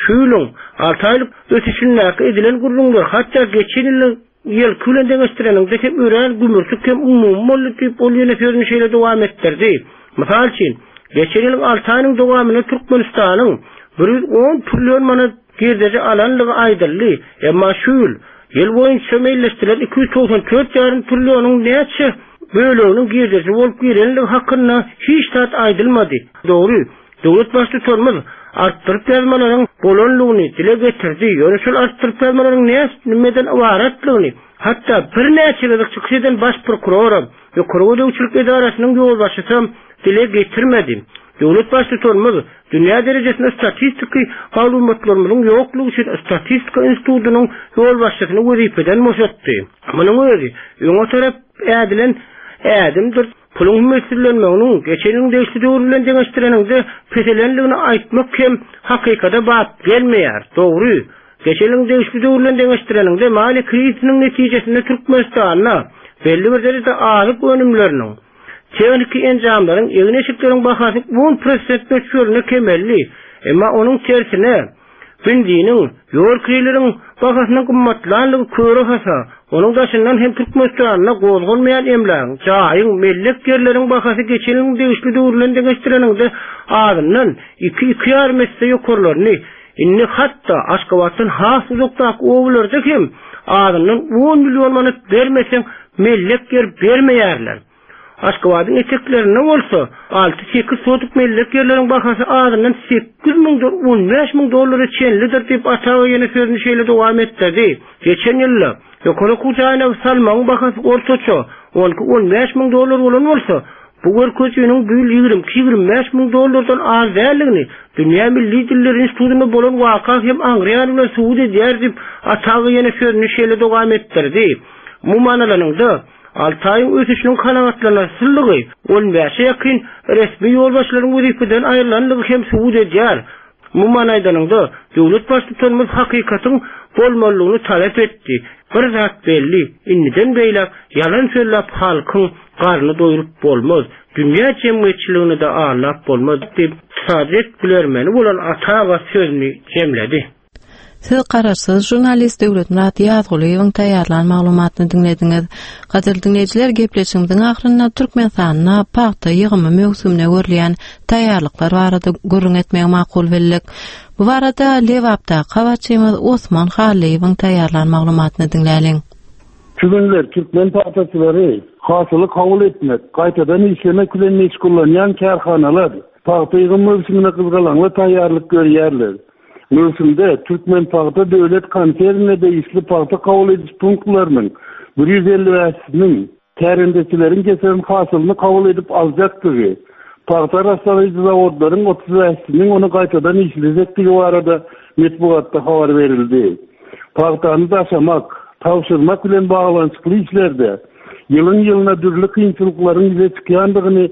Şu ýylyň alty aýlyk ösüşindäki edilen gürrüňler hatda geçen ýylyň ýylky bilen deňeşdireniňde hem örän gümürtik hem umumy boldy diýip, ol ýene sözüni şeýle dowam etdirdi, Mysal üçin, geçen ýylyň alty aýynyň dowamynda Türkmenistanyň 110 trillion manat girdeji alandygy aýdyldy, emma şu ýyl Ýyl boýunça meýilleşdirilen 294 ýarym trillionyň näçe böleginiň girdeji bolup girenligi hakynda hiç zat aýdylmady. Dogry, döwlet Baştutanymyz artdyryp ýazmalaryň bolanlygyny dile getirdi, ýöne şol artdyryp ýazmalaryň nämeden ybaratlygyny hatda birnäçe gezek çykyş eden baş prokuroram, Ýokary gözegçilik edarasynyň ýolbaşçysam dile getirmedi. Döwlet Baştutanymyz dünýä derejesinde statistiki maglumatlarymyzyň ýoklugy üçin Statistika institutynyň ýolbaşçysyny wezipeden boşatdy. Munuň özi öňe tarap ädilen ädimdir. Puluň hümmetsizlenmeginiň geçen ýylyň degişli döwri bilen deňeşdireniňde peselendigini aýtmak hem hakykata bap gelmeýär. Dogry, geçen ýylyň degişli döwri bilen deňeşdireniňde maliýe krizisiniň netijesinde Türkmenistanda belli bir derejede azyk önümleriniň, Tehniki enjamlaryň, egin-eşikleriň bahasy on prosent möçberinde kemeldi. Emma onuň tersine, benziniň, ýol kireýleriň bahasynyň gymmatlandygy köre hasa. Onuň daşyndan hem Türkmenistanda gozgalmaýan emlägiň, jaýyň, mellek ýerleriň bahasy geçen ýylyň degişli döwri bilen deňeşdireniňde azyndan iki, iki ýarym esse ýokarlandy. Indi hatda Aşgabatdan has uzakdaky obalarda hem azyndan on million manat bermeseň, mellek ýer bermeýärler. Aşgabadyň eteklerinde bolsa alty-sekiz sotuk mellek ýerleriň bahasy azyndan sekiz müňden on bäş müň dollara çenlidir diýip, Ataowa ýene sözüni şeýle dowam etdirdi, Geçen ýylda ýokary okuw jaýyna salmagyň bahasy ortaça on iki-on bäş müň dollar bolan bolsa, bu görkezijiniň bu ýyl 22-25 müň dollardan az däldigini Dünýä milli dilleri institutynda bolan waka hem aňryýany bilen subut edýär diýip, Ataowa ýene sözüni şeýle dowam etdirdi, Umuman alanyňda, Altaýyň ösüşiniň kanagatlanarsyzlygy on bäşe ýakyn resmi ýolbaşçylaryň wezipeden aýrylandygy hem subut edýär. Umuman aýdanyňda, döwlet Baştutanymyz hakykatyň bolmalydygyny talap etdi. Bir zat belli, indiden beýläk ýalan sözläp halkyň garnyny doýrup bolmaz, dünýä jemgyýetçiligini-de aldap bolmaz diýip, ykdysadyýet bilermeni bolan Atawa sözüni jemledi. Siz garaşsyz žurnalist Döwletmyrat Ýazgulyýewiň taýýarlan maglumatyny diňlediňiz. Gadyrly diňleýjiler, gepleşigimiziň ahyrynda Türkmenistanda pagta ýygymy möwsümine görülýän taýýarlyklar barada gürrüň etmegi makul bildik. Bu barada Lebapdaky habarçymyz Osman Hallyýewiň taýýarlan maglumatyny diňläliň. Şu günler türkmen pagtaçylary hasyly kabul etmek, gaýtadan işlemek bilen meşgullanýan kärhanalar pagta ýygym möwsümine gyzgalaňly taýýarlyk görýärler. Möwsümde Türkmenpagta döwlet konsernine degişli pagta kabul ediş punktlarynyň 155-siniň. Kärendeçileriň getiren hasylyny kabul edip aljakdygy, pagta arassalaýjy zawodlaryň 35-siniň ony gaýtadan işlejekdigi barada metbugatda habar berildi. Pagtany daşamak, tabşyrmak bilen baglanyşykly işlerde ýylyň-ýylyna dürli kynçylyklaryň ýüze çykýandygyny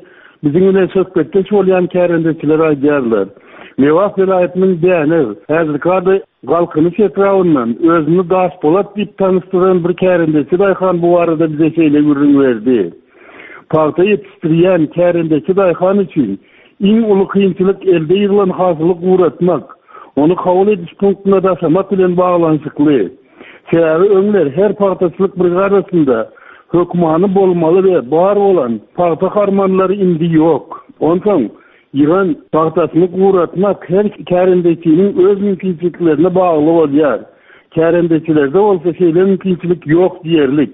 biziň bilen söhbetdeş bolýan kärendeçiler aýdýarlar. Lebap welaýatynyň Dänew, häzirki ady Galkynyş etrabyndan özüni Daşpolat diýip tanyşdyran bir kärendeçi daýhan bu barada bize şeýle gürrüň berdi, Pagta ýetişdirýän kärendeçi daýhan üçin iň uly kynçylyk elde ýyglan hasyly guratmak, ony kabul ediş punktuna daşamak bilen baglanyşykly. Sebäbi öňler her pagtaçylyk brigadasynda hökmany bolmaly we bar bolan pagta harmanlary indi ýok. Onsoň Ýygan pagtasyny guratmak her kärendeçiniň öz mümkinçiliklerine bagly bolýar. Kärendeçilerde bolsa şeýle mümkinçilik ýok diýerlik.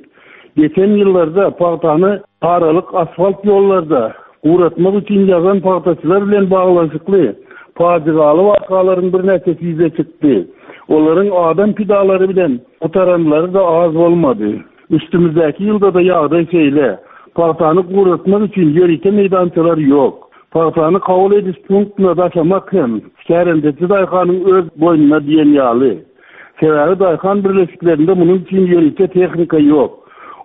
Geçen ýyllarda pagtany aralyk asfalt ýollarda guratmak üçin ýazan pagtaçylar bilen baglanyşykly pajygaly wakalaryň birnäçesi ýüze çykdy. Olaryň adam pidalary bilen gutaranlary-da az bolmady. Üstümizdäki ýylda-da ýagdaý şeýle. Pagtany guratmak üçin ýörite meýdançalar ýok. Pagtany kabul ediş punktuna daşamak hem kärendeçi daýhanyň öz boýnuna diýen ýaly. Sebäbi daýhan birleşiklerinde munuň üçin ýörite tehnika ýok.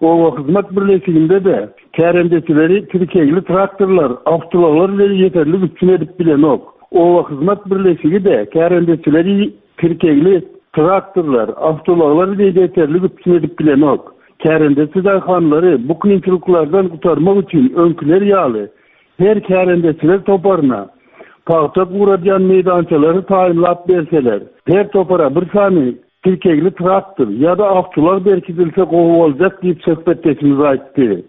Obahyzmat birleşiginde-de kärendeçileri tirkegli traktorlar, awtoulaglar bilen ýeterlik üpjün edip bilenok. Obahyzmat birleşigi-de kärendeçileri Tirkegli traktorlar, awtoulaglar bilen ýeterlik üpjün edip bilenok. Kärendeçi daýhanlary bu kynçylyklardan gutarmak üçin öňküler ýaly her kärendeçiler toparyna pagta guradýan meýdançalary taýynlap berseler, her topara bir sany tirkegli traktor ýa-da awtoulag berkidilse gowy boljak diýip söhbetdeşimiz aýtdy.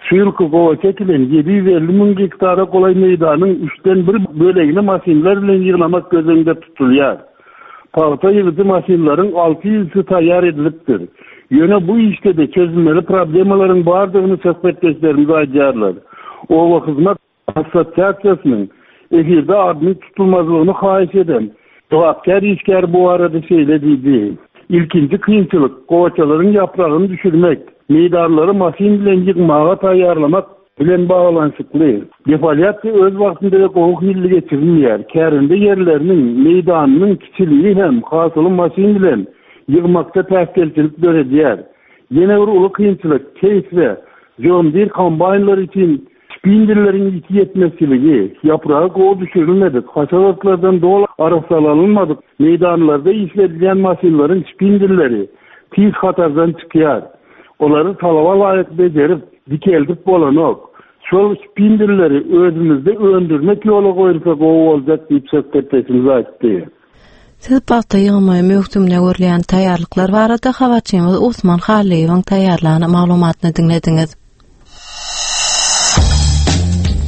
Şu ýylky gowaça ekilen 750 müň gektara golaý meýdanyň üçden bir bölegini maşynlar bilen ýygnamak göz öňünde tutulýar. Pagta ýygyjy maşynlaryň 600-si taýýar edilipdir. Ýöne bu işde-de çözülmeli problemalaryň bardygyny söhbetdeşlerimiz aýdýarlar. Obahyzmat Assosiasiýasynyň efirde adynyň tutulmazlygyny haýyş eden jogapkär işgär bu barada şeýle diýdi, Ilkinji kynçylyk, gowaçalaryň ýapragyny düşürmek, meýdanlary maşyn bilen ýygmaga taýýarlamak bilen baglanyşykly. Defoliasiýa öz wagtynda we gowy hilli geçirilmeýär. Kärende ýerleriniň meýdanynyň kiçiligi hem hasyly maşyn bilen ýygmakda päsgelçilik döredýär. Ýene bir uly kynçylyk, Case we John Deere kombaýnlary üçin Şpindelleriň ýiti ýetmezçiligi, ýapragy gowy düşürilmedik, haşal otlardan doly arassalanylmadyk meýdanlarda işledilýän maşynlaryň şpindelleri tiz hatardan çykýar. Olary talaba laýyk bejerip, dikeldip bolanok. Şol şpindelleri özümizde öndürmek ýola goýulsa gowy boljak diýip söhbetdeşimiz aýtdy. Siz pagta ýygymy möwsümine görülýän taýýarlyklar barada habarçymyz Osman Hallyýewiň taýýarlan maglumatyny diňlediňiz.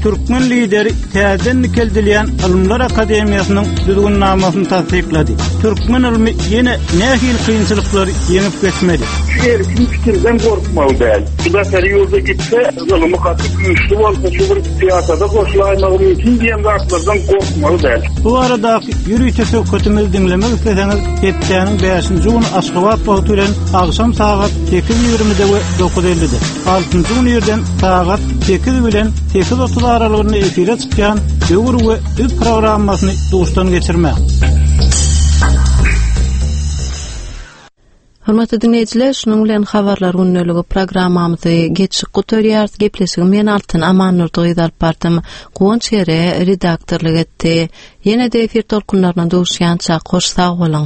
Türkmen lideri täzeden dikeldilýän Ylymlar akademiýasynyň düzgünnamasyny tassyklady. Türkmen ylmy ýene nähili kynçylyklary ýeňip geçmeli? Şu erkin pikirden gorkmaly däl. Şu daşary ýurda gitse, ylymy gaty güýçli bolsa, şu bir syýasata goşulaýmagy mümkin diýen zatlardan gorkmaly däl. Bu baradaky ýörite söhbetimizi diňlemek isleseňiz, hepdäniň bäşinji güni Aşgabat wagty bilen agşam sagat 8:20-de we 9:50-de, altynjy gün irden sagat 8 bilen 8:30 aralygynda efire çykýan Döwür we Biz programmasyny duşdan geçirmäň. Hormatly diňleýjiler, şunuň bilen habarlar gündeligi programmamyzy geçip gutarýarys. Gepleşigi men Altyn Amannurdy gyz alyp bardym. Guwanç Gere redaktorlyk etdi. Ýene-de efir tolkunlaryna duşýança hoş sag boluň.